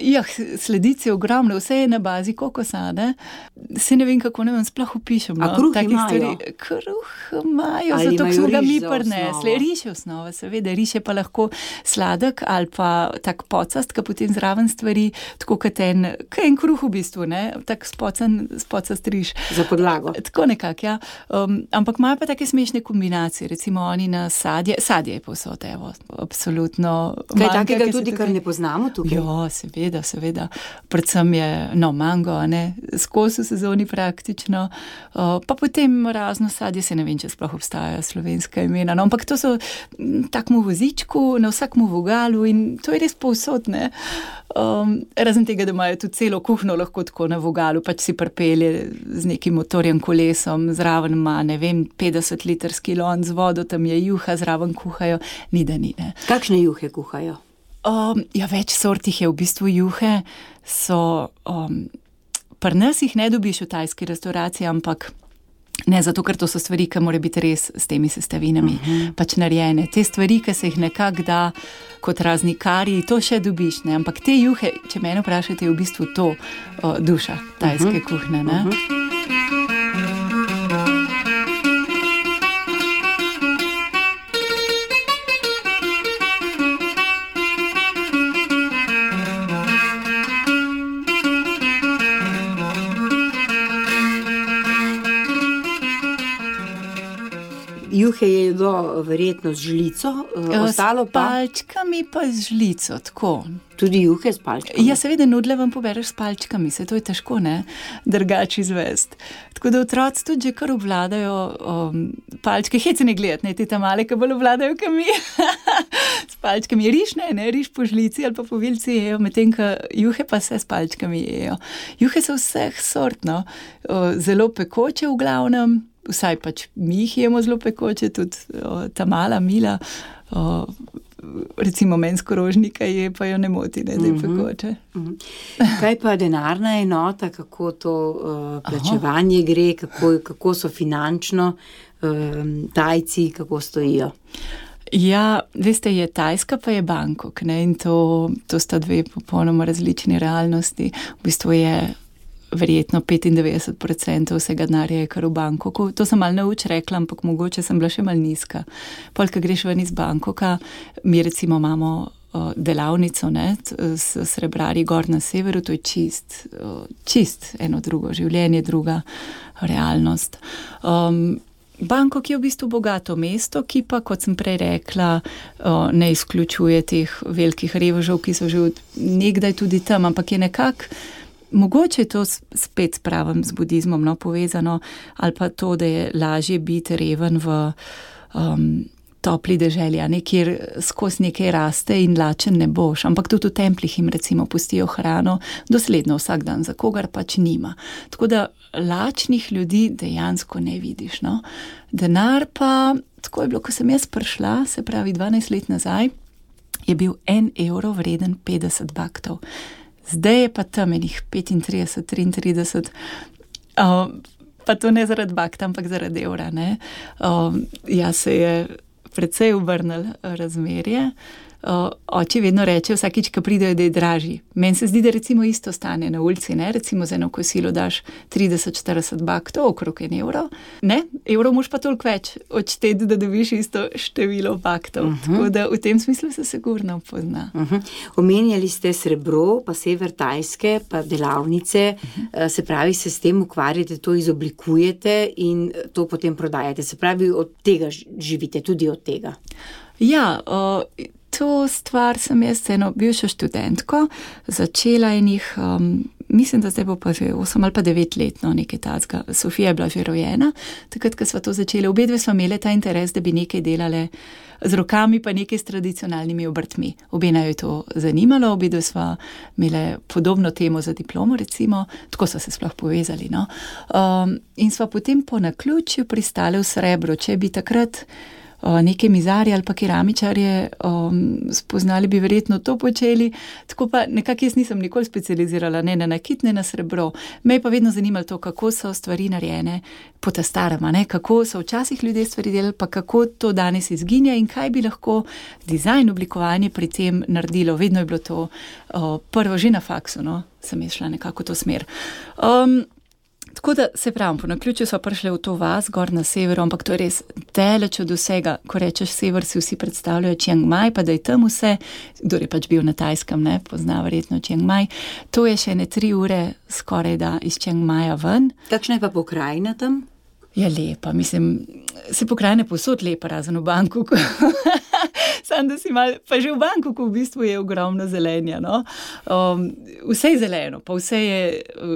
Ja, sledic je ogromno, vse je na bazi kokosa, ne? Se ne vem, kako ne vem, sploh opišem. A kruh imajo? Kruh imajo, zato smo ga mi prinesli. Riž je osnova, seveda, riž je pa lahko sladek ali pa tak pocast, ki potem zraven stvari, tako kot en kruh v bistvu, ne? Tak spocast riž. Za podlago. Tako nekako, ja. Ampak imajo pa take smešne kombinacije, recimo oni na sadje je povsod, evo, absolutno. Kaj takega tudi, kar ne poznamo tukaj? Jo, seveda. seveda. Predvsem je, mango, skozi v sezoni praktično, pa potem razno sadje, se ne vem, če sploh obstajajo slovenska imena, ampak to so takmu vozičku, na vsakmu vogalu in to je res povsod, ne. Razen tega, da imajo tudi celo kuhno lahko tako na vogalu, pač si pripelje z nekim motorjem kolesom, zraven ima, 50-litrski lon z vodo, tam je juha, zraven kuhajo, ni da ni, ne. Kakšne juhe kuhajo? Več sort jih je v bistvu juhe, so, pri nas jih ne dobiš v tajski restauraciji, ampak ne zato, ker to so stvari, ki mora biti res s temi sestavinami pač narejene. Te stvari, ki se jih nekako da kot razni kari, to še dobiš, ne, ampak te juhe, če mene vprašate, je v bistvu to duša tajske kuhne, ne. Juhe je verjetno z žlico, ostalo pa? S palčkami pa z žlico, tako. Tudi juhe s palčkami? Ja, seveda, nudle vam pobereš s palčkami, se to je težko, ne, drugače izvesti. Tako da otroci tudi že kar obvladajo palčke, hec ne gledati, ne, te tam male, ki bolj obvladajo, kot mi. S palčkami riž, riž po žlici ali pa po vilci jejo, medtem ko juhe pa se s palčkami jejo. Juhe so vseh sort, no, zelo pekoče v glavnem, vsaj pač mi jih jemo zelo pekoče, tudi ta mala Mila, recimo mensko rožnika je, pa jo ne moti, ne, da je pekoče. Kaj pa denarna enota, kako to plačevanje gre, kako so finančno Tajci, kako stojijo? Ja, veste, je Tajska pa je Bangkok, ne, in to sta dve popolnoma različni realnosti. V bistvu je verjetno 95% vsega denarja je kar v Bangkoku. To sem malo nauč rekla, ampak mogoče sem bila še malo nizka. Pol, ko greš ven iz Bangkoka, mi recimo imamo delavnico, ne, s srebrarji gor na severu, to je čist eno drugo življenje, druga realnost. Bangkok je v bistvu bogato mesto, ki pa, kot sem prej rekla, ne izključuje teh velikih revežev, ki so že nekdaj tudi tam, ampak je nekako mogoče je to spet s pravim z budizmom, no, povezano, ali pa to, da je lažje biti reven v topli deželi, kjer skozi nekaj raste in lačen ne boš, ampak tudi v templih jim recimo pustijo hrano dosledno vsak dan, za kogar pač nima. Tako da lačnih ljudi dejansko ne vidiš, no. Denar pa, tako je bilo, ko sem jaz prišla, se pravi 12 let nazaj, je bil 1 evro vreden 50 baktov. Zdaj je pa tam enih 35, 33, pa to ne zaradi bakta, ampak zaradi evra, ne. Ja, se je precej obrnilo razmerje. Oči vedno reče, vsakič, ko pridejo, da je dražji. Meni se zdi, da recimo isto stane na ulici, ne, recimo za eno kosilo daš 30-40 baktov, okrog 1 evro, ne, evro moš pa toliko več odšteti, da dobiš isto število baktov. Tako da v tem smislu se sigurno pozna. Omenjali ste srebro, pa sever Tajske, pa delavnice, se pravi, se s tem ukvarjate, to izoblikujete in to potem prodajate. Se pravi, od tega živite, tudi od tega. Ja, to stvar sem jaz eno bivšo študentko začela enih, mislim, da zdaj bo pa že 8 ali pa 9 let, no, nekaj tazga. Sofija je bila že rojena, takrat, ko sva to začela. Obedve sva imele ta interes, da bi nekaj delale z rokami, pa nekaj s tradicionalnimi obrtmi. Obena jo je to zanimalo, obedve sva imele podobno temo za diplomo, recimo, tako sva se sploh povezali, no. In sva potem po naključju pristale v srebro, če bi takrat neke mizarje ali pa keramičarje spoznali, bi verjetno to počeli. Tako pa nekako jaz nisem nikoli specializirala, ne na nakit, ne na srebro. Me je pa vedno zanimalo to, kako so stvari narejene po ta starama, ne, kako so včasih ljudje stvari delali, pa kako to danes izginja in kaj bi lahko dizajn, oblikovanje pri tem naredilo. Vedno je bilo to prvo že na faksu, no, sem jaz šla nekako v to smer. Tako da se pravim, po naključju so prišli v to vas, gor na severu, ampak to je res daleč od vsega. Ko rečeš sever, si vsi predstavljajo Chiang Mai, pa da je tam vse, kdor je pač bil na Tajskem, ne, pozna verjetno Chiang Mai. To je še 3 ure skoraj da iz Chiang Maja ven. Kakšna je pa pokrajina tam? Ja, lepa, mislim, se pokrajine povsod lepa, razen v Bangkoku. Sam, da si mal, pa že v Bangkoku v bistvu je ogromno zelenja, no. Vse je zeleno, pa vse je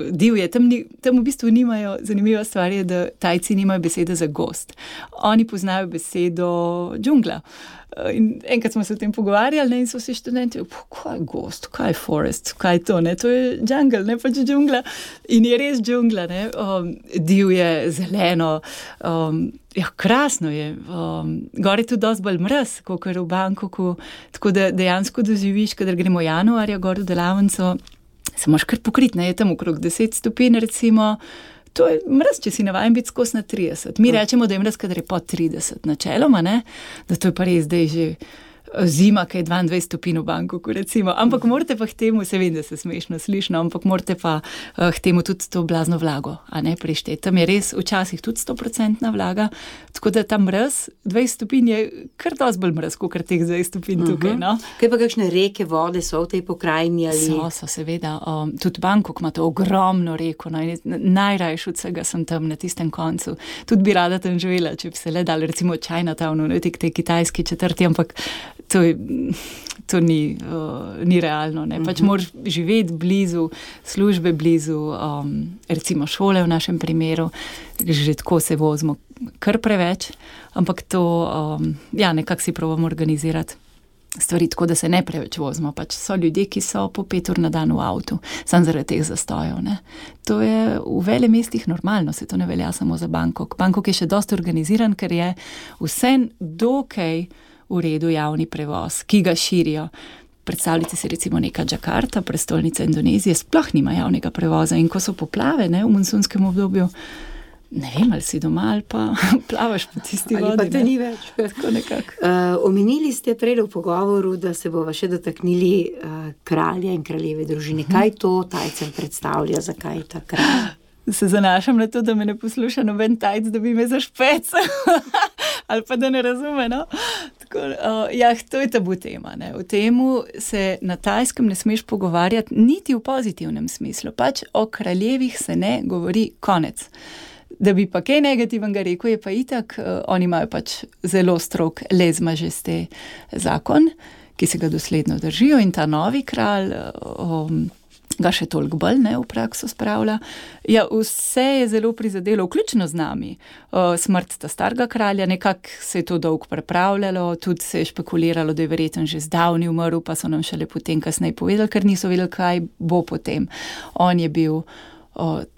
divje. Tam v bistvu nimajo, zanimiva stvar je, da Tajci nimajo besede za gozd. Oni poznajo besedo džungla. In enkrat smo se o tem pogovarjali, ne, in so vsi študenti, kaj je gozd, kaj je forest, kaj je to, ne, to je jungle, ne, pač džungla. In je res džungla, ne, divje, zeleno, ja, krasno je. Gor je tudi dosti bolj mraz, kakor v Bangkoku, tako da dejansko doživiš, kadar gremo januarja gor v delavnico, se moraš kar pokriti, ne, je tam okrog 10 stopinj, recimo. To je mraz, če si navajen biti skos na 30. Mi rečemo, da je mraz, kadar je pod 30 načeloma, ne? Da to je pa res zdaj že zima, ki je 22 stopinj v Bangkoku, recimo. Ampak morate pa k temu, se vem, da se smešno slišno, ampak morate pa k temu tudi to blazno vlago, a ne prišteti. Tam je res včasih tudi 100% vlaga, tako da tam mraz, 20 stopinj je kar dosti bolj mraz, kot teh 20 stopinj tukaj, no. Kaj pa kakšne reke, vode so v tej pokrajini ali? So, seveda. Tudi Bangkok ima to ogromno reko, no, najrajš od vsega sem tam na tistem koncu. Tudi bi rada tam živela, če bi se le dali, recimo Chinatownu, ne, tej kitajski četrti, ampak to ni realno, ne. Pač moraš živeti blizu, službe blizu, recimo šole v našem primeru, že tako se vozimo kar preveč, ampak to, ja, nekako si probamo organizirati stvari tako, da se ne preveč vozimo. Pač so ljudje, ki so po 5 ur na dan v avtu, samo zaradi teh zastojev, ne. To je v velemestih normalno, se to ne velja samo za Bangkok. Bangkok je še dosti organiziran, ker je vse dokaj v redu javni prevoz, ki ga širijo. Predstavljajte si recimo neka Džakarta, prestolnica Indonezije, sploh nima javnega prevoza in ko so poplave, ne, v monsunskem obdobju, ne vem, ali si doma ali pa plavaš po tisti vodi. Ali pa te ni več. Tako nekako. Omenili ste prej v pogovoru, da se bova še dotaknili kralja in kraljeve družine. Kaj to Tajcem predstavlja, zakaj ta kralj? Se zanašam na to, da me ne posluša noben Tajc, da bi me zašpec. Ali pa da ne razume, no. Tako, ja, to je tabu tema, ne. O temu se na Tajskem ne smeš pogovarjati niti v pozitivnem smislu. Pač o kraljevih se ne govori, konec. Da bi pa kaj negativnega rekel, je pa itak, oni imajo pač zelo strog les majesté zakon, ki se ga dosledno držijo in ta novi kralj, ga še toliko bolj, ne, v prakso spravlja. Ja, vse je zelo prizadelo, vključno z nami. Smrt ta starega kralja, nekako se je to dolgo pripravljalo, tudi se je špekuliralo, da je verjetno že zdavni umrl, pa so nam šele potem kasneje povedali, ker niso vedeli, kaj bo potem. On je bil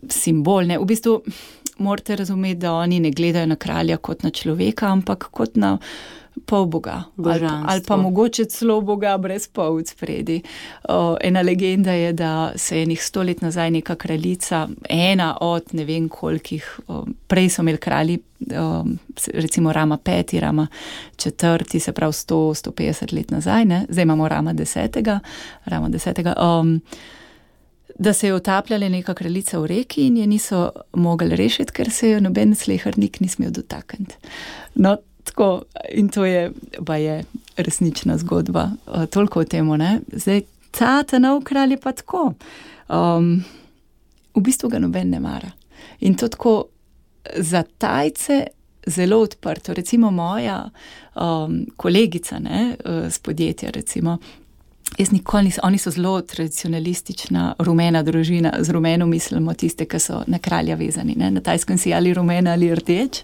simbol, ne. V bistvu morate razumeti, da oni ne gledajo na kralja kot na človeka, ampak kot na pol boga. Ali pa mogoče celo boga brez polc spredi. Ena legenda je, da se je 100 let nazaj neka kraljica, ena od ne vem kolikih, prej so imeli kralji, recimo Rama 5, Rama 4, se pravi 100-150 let nazaj, ne? Zdaj imamo Rama 10. Da se je utapljala neka kraljica v reki in je niso mogli rešiti, ker se jo noben slehernik ni smel dotakniti. No, tako, in to je resnična zgodba, toliko o temu, ne. Zdaj, ta nov kralj je pa tako. V bistvu ga noben ne mara. In to tako za Tajce zelo odprto. Recimo moja kolegica, ne, z podjetja, recimo, oni so zelo tradicionalistična, rumena družina, z rumeno mislimo tiste, ki so na kralja vezani, ne. Na Tajskem si ali rumena ali rdeč.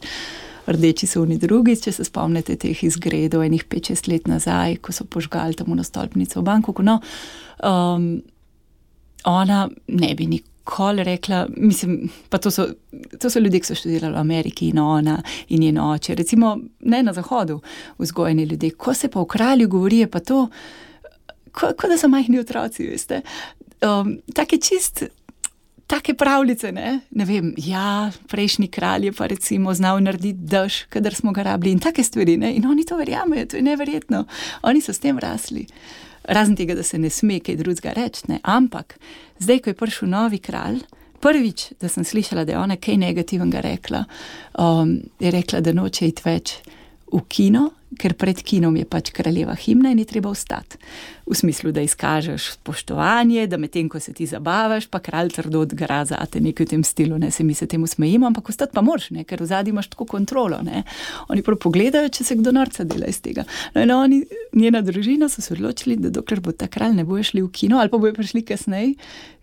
Rdeči so oni drugi, če se spomnite teh izgredov enih 5-6 let nazaj, ko so požgali tam na stolpnico v Bangkoku. No, ona ne bi nikoli rekla, mislim, pa to so ljudje, ki so študirali v Ameriki in ona in njen oče. Recimo, ne na zahodu vzgojeni ljudje. Ko se pa v kralju govori, je pa to, kot da so majhni otroci, veste. Take pravljice, ne vem, ja, prejšnji kralj je pa recimo znal narediti dež, kadar smo ga rabili in take stvari, ne, in oni to verjamejo, to je neverjetno. Oni so s tem rasli. Razen tega, da se ne sme kaj drugega reči, ne, ampak zdaj, ko je prišel novi kralj, prvič, da sem slišala, da je ona kaj negativnega rekla, je rekla, da noče iti več v kino, ker pred kinom je pač kraljeva himna in je treba vstati. V smislu, da izkažeš spoštovanje, da medtem, ko se ti zabavaš, pa kralj trdo odgara zate, nekaj v tem stilu, ne, se mi se temu smejimo, ampak vstati pa moraš, ne, ker vzadnji imaš tako kontrolo, ne. Oni prav pogledajo, če se kdo norca dela iz tega. No in oni, njena družina so se odločili, da dokler bo ta kralj, ne bojo šli v kino, ali pa bojo prišli kasneje,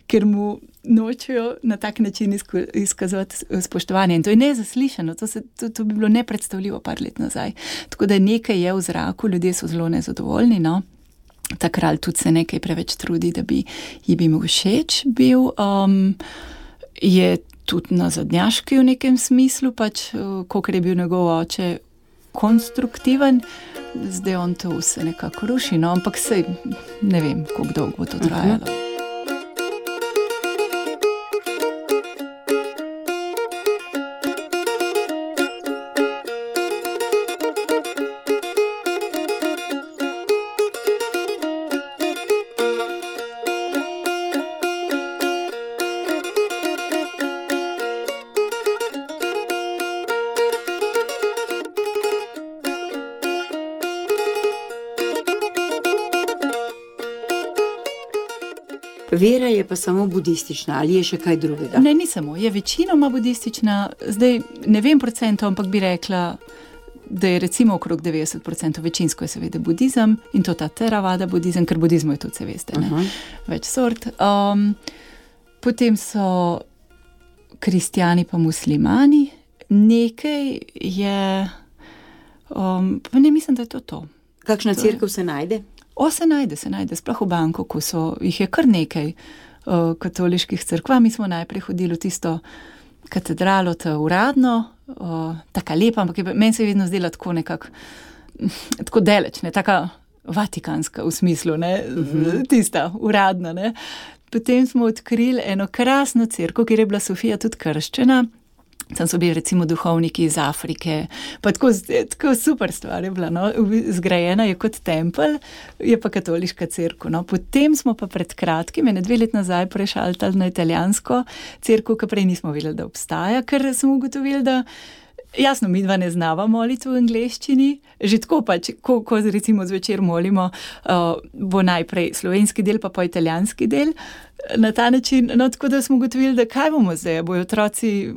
ker mu nočejo na tak način izkazovati spoštovanje. In to je nezaslišano, to bi bilo nepredstavljivo par let nazaj. Tako da nekaj je v zraku, ljudje so zelo nezadovoljni, no. Ta kralj tudi se nekaj preveč trudi, da bi ji bil všeč bil. Je tudi nazadnjaški v nekem smislu, pač, kolikor je bil njegov oče konstruktiven, zdaj on to vse nekako ruši, no, ampak sej ne vem, koliko dolgo bo to trajalo. Vera je pa samo budistična, ali je še kaj drugega? Ne, ni samo, je večinoma budistična, zdaj ne vem procentov, ampak bi rekla, da je recimo okrog 90%, večinsko je seveda budizem in to ta Theravada budizem, ker budizmu je tudi, se veste, ne, več sort. Potem so kristjani pa muslimani, nekaj je, pa ne mislim, da je to. Kakšna cerkev se najde? Se najde, sploh v Bangkoku jih je kar nekaj katoliških cerkva. Mi smo najprej hodili v tisto katedralo, ta uradno, taka lepa, ampak meni se je vedno zdela tako nekako, tako daleč, ne, taka vatikanska v smislu, ne, tista uradna, ne. Potem smo odkrili eno krasno cerkev, kjer je bila Sofija tudi krščena. Tam so bili recimo duhovniki iz Afrike, pa tako super stvar je bila, no, zgrajena je kot tempelj, je pa katoliška cerkev, no. Potem smo pa pred kratkim, 2 let nazaj prešaltali na italijansko cerkev, ki prej nismo videli, da obstaja, ker smo ugotovili, da jasno, mi dva ne znava moliti v angleščini, že tako pač, ko recimo zvečer molimo, bo najprej slovenski del, pa italijanski del, na ta način, no, tako da smo ugotovili, da kaj bomo zdaj, bojo otroci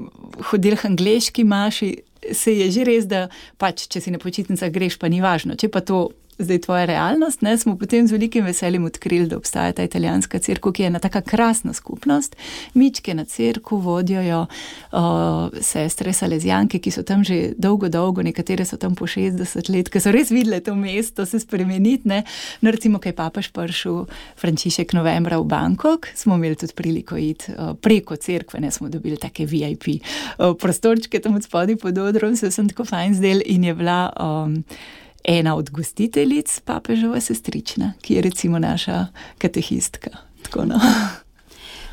hodili k angleški maši, se je že res, da pač, če si na počitnicah greš, pa ni važno, če pa to zdaj tvoja realnost, ne, smo potem z velikim veseljem odkrili, da obstaja ta italijanska cerkev, ki je ena taka krasna skupnost. Mičke na cerkev vodijo sestre salezijanke, ki so tam že dolgo, nekatere so tam po 60 let, ki so res videle to mesto se spremeniti, ne. No, recimo, kaj papež prišel Frančišek novembra v Bangkok, smo imeli tudi priliko iti preko cerkve, ne, smo dobili take VIP prostorčke tam od spodaj pod odrom, se sem tako fajn zdel in je bila ena od gostiteljic papeževa sestrična, ki je recimo naša katehistka. Tako, no.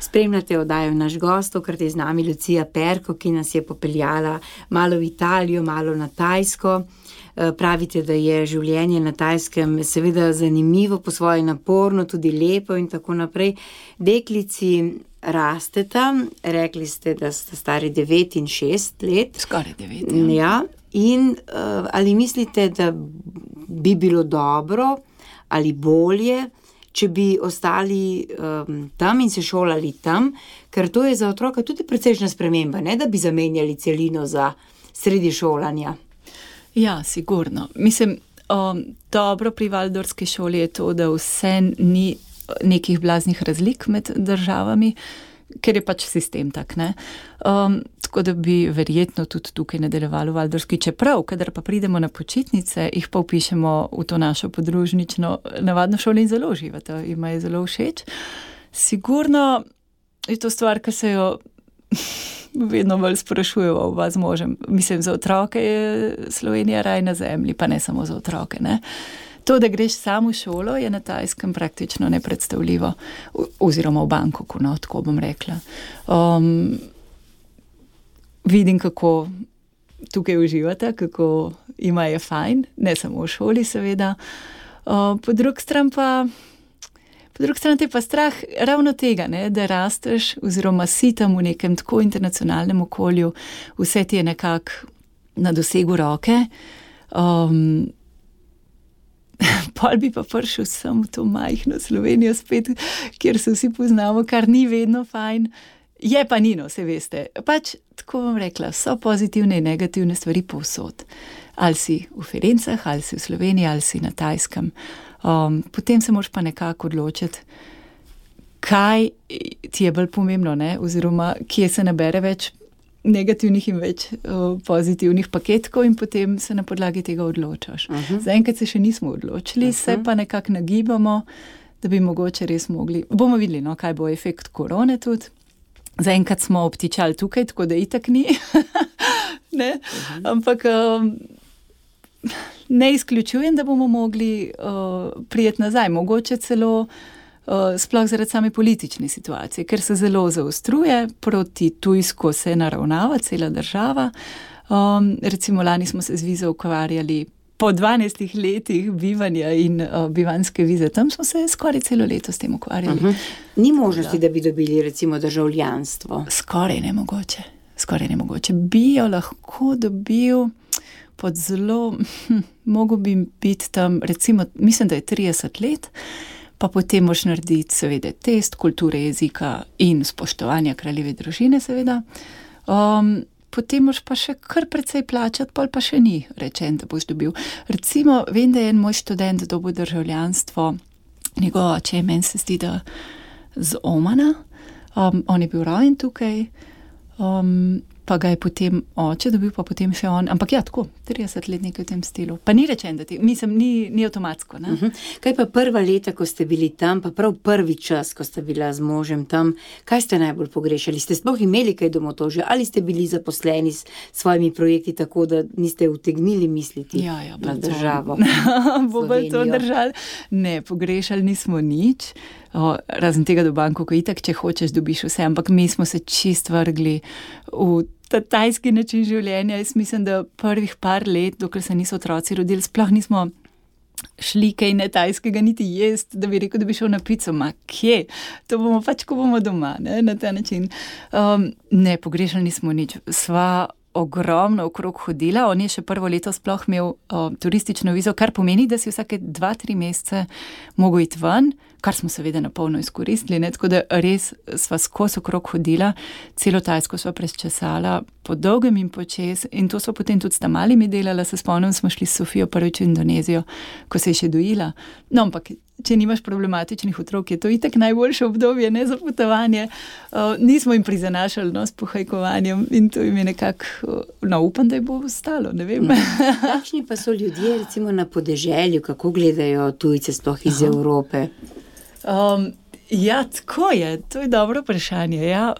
Spremljate oddajo Naš gost, tokrat je z nami Lucija Perko, ki nas je popeljala malo v Italijo, malo na Tajsko. Pravite, da je življenje na Tajskem seveda zanimivo, po svoje naporno, tudi lepo in tako naprej. Deklici rasteta, rekli ste, da ste stari 9 in 6 let. Skoraj 9, ja. Ja. In ali mislite, da bi bilo dobro ali bolje, če bi ostali tam in se šolali tam, ker to je za otroka tudi precejšnja sprememba, ne da bi zamenjali celino za sredi šolanja? Ja, sigurno. Mislim, dobro pri Valdorski šoli je to, da vse ni nekih blaznih razlik med državami, ker je pač sistem tak, ne. Tako da bi verjetno tudi tukaj nadaljevali v Valdorski, čeprav, kadar pa pridemo na počitnice, jih pa vpišemo v to našo podružnično navadno šolo in zelo uživata, jima je zelo všeč. Sigurno je to stvar, ki se jo vedno bolj sprašujejo oba z možem. Mislim, za otroke je Slovenija raj na zemlji, pa ne samo za otroke, ne. To, da greš sam v šolo, je na Tajskem praktično nepredstavljivo, oziroma v Bangkoku, no, tako bom rekla. Vidim, kako tukaj uživate, kako ima je fajn, ne samo v šoli seveda. Po drugi strani te pa strah ravno tega, ne, da rasteš oziroma si tam v nekem tako internacionalnem okolju, vse ti je nekako na dosegu roke. Pol bi pa prišel sem v to majhno Slovenijo spet, kjer se vsi poznamo, kar ni vedno fajn. Je pa nino, se veste. Pač, tako bom rekla, so pozitivne in negativne stvari povsod. Ali si v Firencah, ali si v Sloveniji, ali si na Tajskem. Potem se moraš pa nekako odločiti, kaj ti je bolj pomembno, ne? Oziroma, kje se nabere več negativnih in več pozitivnih paketkov in potem se na podlagi tega odločaš. Zaenkrat se še nismo odločili, se pa nekako nagibamo, da bi mogoče res mogli. Bomo videli, no, kaj bo efekt korone tudi. Zaenkrat smo obtičali tukaj, tako da itak ni. Ne? Ampak ne izključujem, da bomo mogli prijeti nazaj. Mogoče celo sploh zaradi same politične situacije, ker se zelo zaostruje, proti tujsko se naravnava cela država. Recimo lani smo se z vizo ukvarjali po 12 letih bivanja in bivanske vize. Tam smo se skoraj celo leto s tem ukvarjali. Ni možnosti, da bi dobili recimo državljanstvo? Skoraj nemogoče. Bi jo lahko dobil pod zelo, mogo bi biti tam, recimo, mislim, da je 30 let, pa potem moraš narediti seveda test kulture jezika in spoštovanja kraljeve družine, seveda. Potem moraš pa še kar precej plačati, pol pa še ni rečen, da boš dobil. Recimo, vem, da je en moj študent dobil državljanstvo, njegov oče, meni se zdi, da z Omana, on je bil rojen tukaj, pa ga je potem oče dobil, pa potem še on, ampak ja, tako, 30 let nekaj v tem stilu. Pa ni rečen, da ni avtomatsko, ne? Kaj pa prva leta, ko ste bili tam, pa prav prvi čas, ko ste bila z možem tam, kaj ste najbolj pogrešali? Ste sploh imeli kaj domotožja? Ali ste bili zaposleni s svojimi projekti tako, da niste utegnili misliti na državo? Bo bolj to držali? Ne, pogrešali nismo nič. Razen tega do Bangkoka, itak, če hočeš, dobiš vse, ampak mi smo se čist vrgli v ta tajski način življenja. Jaz mislim, da prvih par let, dokler se niso otroci rodili, sploh nismo šli kaj ne tajskega niti jest, da bi rekel, da bi šel na pico. Ma kje? To bomo pač, ko bomo doma, ne? Na ta način. Ne, pogrešali nismo nič. Sva ogromno okrog hodila. On je še prvo leto sploh imel turistično vizo, kar pomeni, da si vsake 2-3 mesece mogel iti ven, kar smo seveda na polno izkoristili, ne? Tako da res sva skozi okrog hodila, celo Tajsko sva prečesala, po dolgem in počez, in to sva potem tudi s tamalimi delala, se spomnim, smo šli s Sofijo prvič v Indonezijo, ko se je še dojila. No, ampak če nimaš problematičnih otrok, je to itak najboljše obdobje, ne, za potovanje. Nismo jim prizanašali, no, s pohajkovanjem in to jim je nekako, no, upam, da je bo ostalo, ne vem. Kakšni pa so ljudje, recimo na podeželju, kako gledajo tujce sploh iz Evrope? Ja, tako je, to je dobro vprašanje. Ja.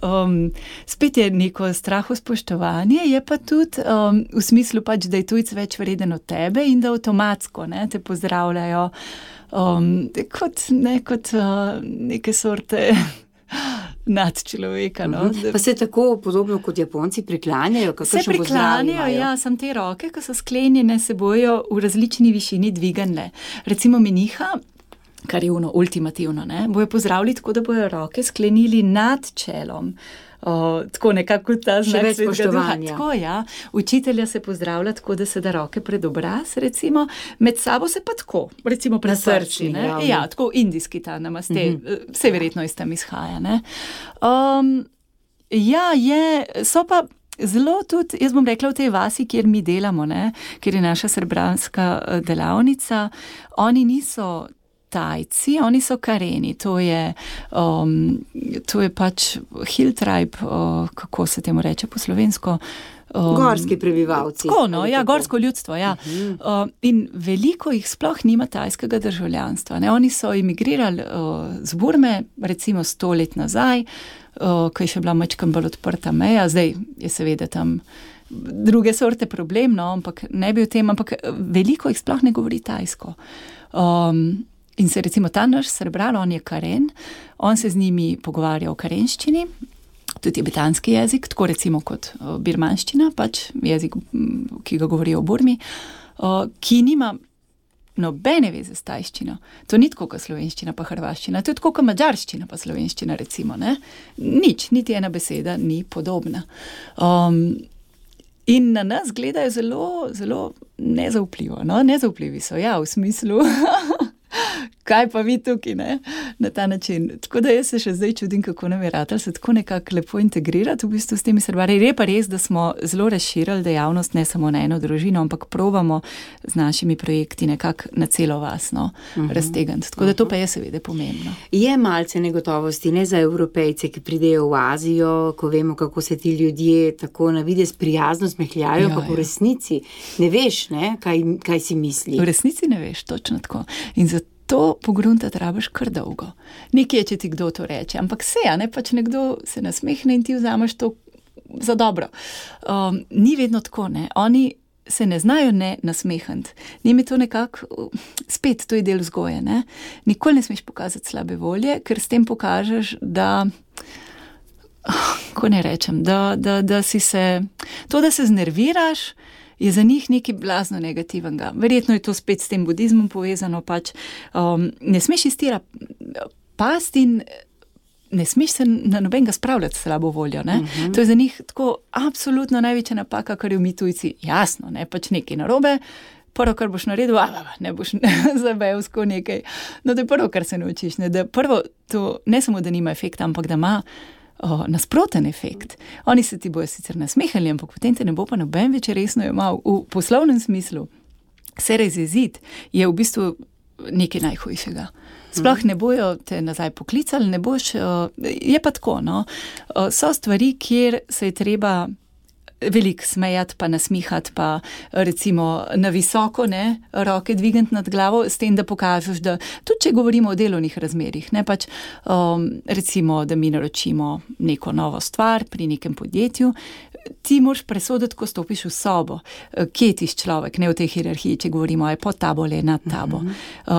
Spet je neko straho spoštovanje, je pa tudi v smislu pač, da je tujc več vreden od tebe in da avtomatsko, ne, te pozdravljajo kot neke sorte nadčloveka. No? Pa se tako podobno kot Japonci priklanjajo? Se priklanjajo, ja, sam te roke, ko so sklenjene, se bojo v različni višini dviganle. Recimo meniha, kar je ultimativno, ne, bojo pozdravili tako, da bojo roke sklenili nad čelom. Tako nekako ta znak svetega duha. Tako, ja. Učitelja se pozdravlja tako, da se da roke pred obraz, recimo, med sabo se pa tako, recimo pred srčni. Ja, tako indijski ta namaste, vse verjetno iz tam izhaja. Ne. Ja, so pa zelo tudi, jaz bom rekla, v tej vasi, kjer mi delamo, ne, kjer je naša srbranska delavnica, oni niso Tajci, oni so Kareni, to je pač hill tribe, kako se temu reče po slovensko? Gorski prebivalci. Tako, no, ja, gorsko ljudstvo, ja. In veliko jih sploh nima tajskega državljanstva, ne. Oni so emigrirali z Burme, recimo 100 let nazaj, ko je še bila majčkeno bolj odprta meja, zdaj je seveda tam druge sorte problem, no, ampak ne bi o tem, ampak veliko jih sploh ne govori tajsko. In se recimo ta naš Srbran, on je Karen, on se z njimi pogovarja o karenščini, tudi tibetanski jezik, tako recimo kot birmanščina, pač jezik, ki ga govorijo v Burmi, ki nima nobene veze s tajščino. To ni tako kot slovenščina pa hrvaščina, to je tako kot madžarščina pa slovenščina, recimo, ne. Nič, niti ena beseda ni podobna. In na nas gledajo zelo, zelo nezaupljivo, no, nezaupljivi so, ja, v smislu, kaj pa vi tukaj, ne, na ta način. Tako da jaz se še zdaj čudim, kako nam je ratalo se tako nekako lepo integrirati v bistvu s temi srbari. Je pa res, da smo zelo razširili dejavnost ne samo na eno družino, ampak probamo z našimi projekti nekako na celo vas, no, raztegniti. Tako da to pa je seveda pomembno. Je malce negotovosti, ne za Evropejce, ki pridejo v Azijo, ko vemo, kako se ti ljudje tako na videz prijazno smehljajo, pa v resnici ne veš, ne, kaj si misli. V resnici ne veš, točno tako. In to pogruntati rabiš kar dolgo. Nekje, če ti kdo to reče, ampak pač nekdo se nasmehne in ti vzameš to za dobro. Ni vedno tako, ne. Oni se ne znajo ne nasmehniti. Njim je to nekako, spet, to je del vzgoje, ne. Nikoli ne smeš pokazati slabe volje, ker s tem pokažeš, da, ko ne rečem, da si se, to, da se znerviraš, je za njih nekaj blazno negativnega. Verjetno je to spet s tem budizmom povezano, pač ne smeš iz tira pasti in ne smeš se na nobenega spravljati slabo voljo, ne. To je za njih tako absolutno največja napaka, kar je mi tujci. Jasno, ne, pač nekaj narobe, prvo, kar boš naredil, ne boš zabevsko nekaj. No, to je prvo, kar se naučiš, ne, da prvo to ne samo, da nima efekta, ampak da ima nasproten efekt. Oni se ti bojo sicer nasmehali, ampak potem te ne bo pa noben več resno jemal. V poslovnem smislu se razjeziti je v bistvu nekaj najhujšega. Sploh ne bojo te nazaj poklicali, ne boš, je pa tako, no. So stvari, kjer se je treba veliko smejati, pa nasmihati, pa recimo na visoko, ne, roke dvigniti nad glavo, s tem, da pokažeš, da tudi če govorimo o delovnih razmerih, ne, pač recimo, da mi naročimo neko novo stvar pri nekem podjetju, ti moraš presoditi, ko stopiš v sobo, kje ti človek, ne v tej hierarhiji, če govorimo, je pod tabo ali nad tabo.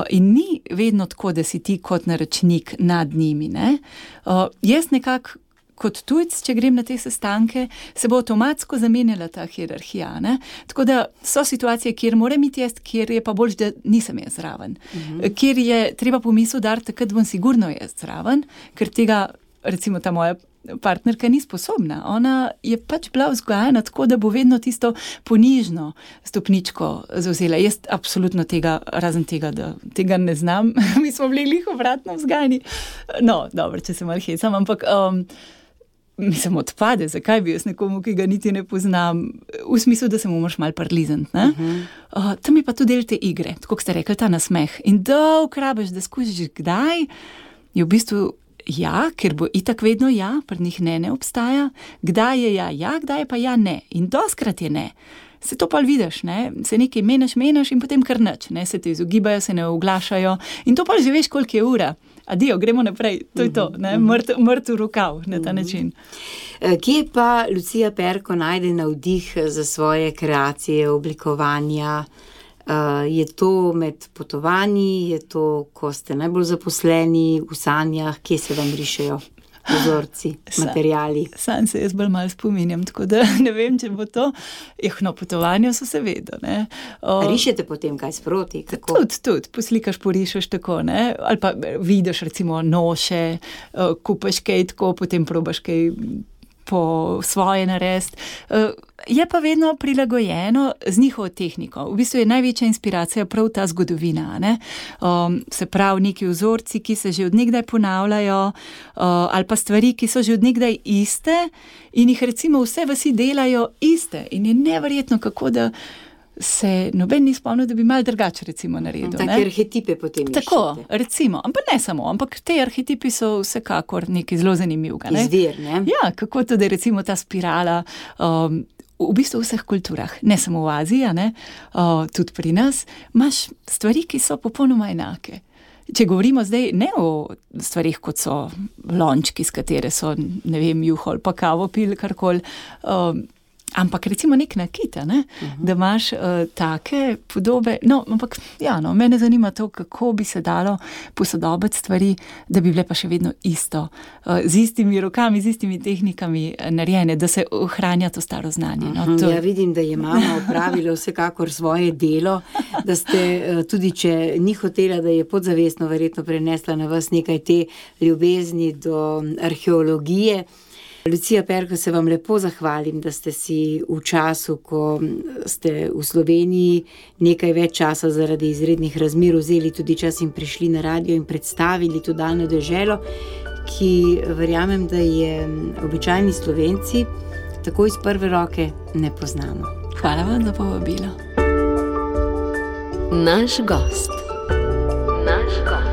In ni vedno tako, da si ti kot naročnik nad njimi, ne. Jaz nekako kot tujc, če grem na te sestanke, se bo avtomatsko zamenjala ta hierarhija, ne. Tako da so situacije, kjer moram iti jaz, kjer je pa boljš, da nisem jaz zraven. Kjer je treba pomisel dati, takrat bom sigurno jaz zraven, ker tega, recimo ta moja partnerka ni sposobna. Ona je pač bila vzgojena tako, da bo vedno tisto ponižno stopničko zavzela. Jaz absolutno tega, razen tega, da tega ne znam. Mi smo bili glih obratno vzgojeni. No, dobro, če se malo hecam, ampak mislim, odpade, zakaj bi jaz nekomu, ki ga niti ne poznam, v smislu, da se mu moraš malo prilizniti, ne? Tam je pa tudi del te igre, tako kot ste rekli, ta nasmeh. In dolg rabiš, da skušiš kdaj, je v bistvu ja, ker bo itak vedno ja, pri njih ne obstaja, kdaj je ja, kdaj je pa ja, ne. In doskrat je ne. Se to pa vidiš, ne, se nekaj menjaš in potem kar nič, ne, se te izogibajo, se ne oglašajo in to pa že veš, koliko je ura. Adijo, gremo naprej, to je to, ne, mrtev rokav na ta način. Kje pa Lucija Perko najde navdih za svoje kreacije, oblikovanja? Je to med potovanji, je to, ko ste najbolj zaposleni v sanjah, kje se vam rišejo vzorci, materiali? Sam se jaz bolj malo spominjam, tako da ne vem, če bo to. No, potovanja so seveda, ne. Rišete potem kaj sproti? Tudi, poslikaš, porišeš tako, ne. Ali pa vidiš recimo noše, kupaš kaj tako, potem probaš kaj po svoje narediti. Je pa vedno prilagojeno z njihovo tehniko. V bistvu je največja inspiracija prav ta zgodovina, ne? Se pravi, neki vzorci, ki se že od nekdaj ponavljajo, ali pa stvari, ki so že od nekdaj iste in jih recimo vse vasi delajo iste. In je neverjetno, kako da se noben ni spomnil, da bi malo drugače recimo naredil. Take arhetipe potem iščete. Tako, recimo, ampak ne samo, ampak te arhetipi so vsekakor nekaj zelo zanimivega. Izvir, ne? Ja, kako to, da je recimo ta spirala v bistvu v vseh kulturah, ne samo v Aziji, ne, tudi pri nas, imaš stvari, ki so popolnoma enake. Če govorimo zdaj ne o stvarih, kot so lončki, s katere so, ne vem, juho ali pa kavo pil, karkoli, ampak recimo nek nakit, ne? Da imaš take podobe, no, ampak ja, no, mene zanima to, kako bi se dalo posodobiti stvari, da bi bile pa še vedno isto, z istimi rokami, z istimi tehnikami narejene, da se ohranja to staro znanje. No, to... Ja, vidim, da je mama opravila vsekakor svoje delo, da ste tudi, če ni hotela, da je podzavestno verjetno prenesla na vas nekaj te ljubezni do arheologije. Lucija Perko, se vam lepo zahvalim, da ste si v času, ko ste v Sloveniji nekaj več časa zaradi izrednih razmer vzeli tudi čas in prišli na radio in predstavili to daljno deželo, ki verjamem, da je običajni Slovenci tako iz prve roke ne poznamo. Hvala vam za povabilo. Naš gost. Naš gost.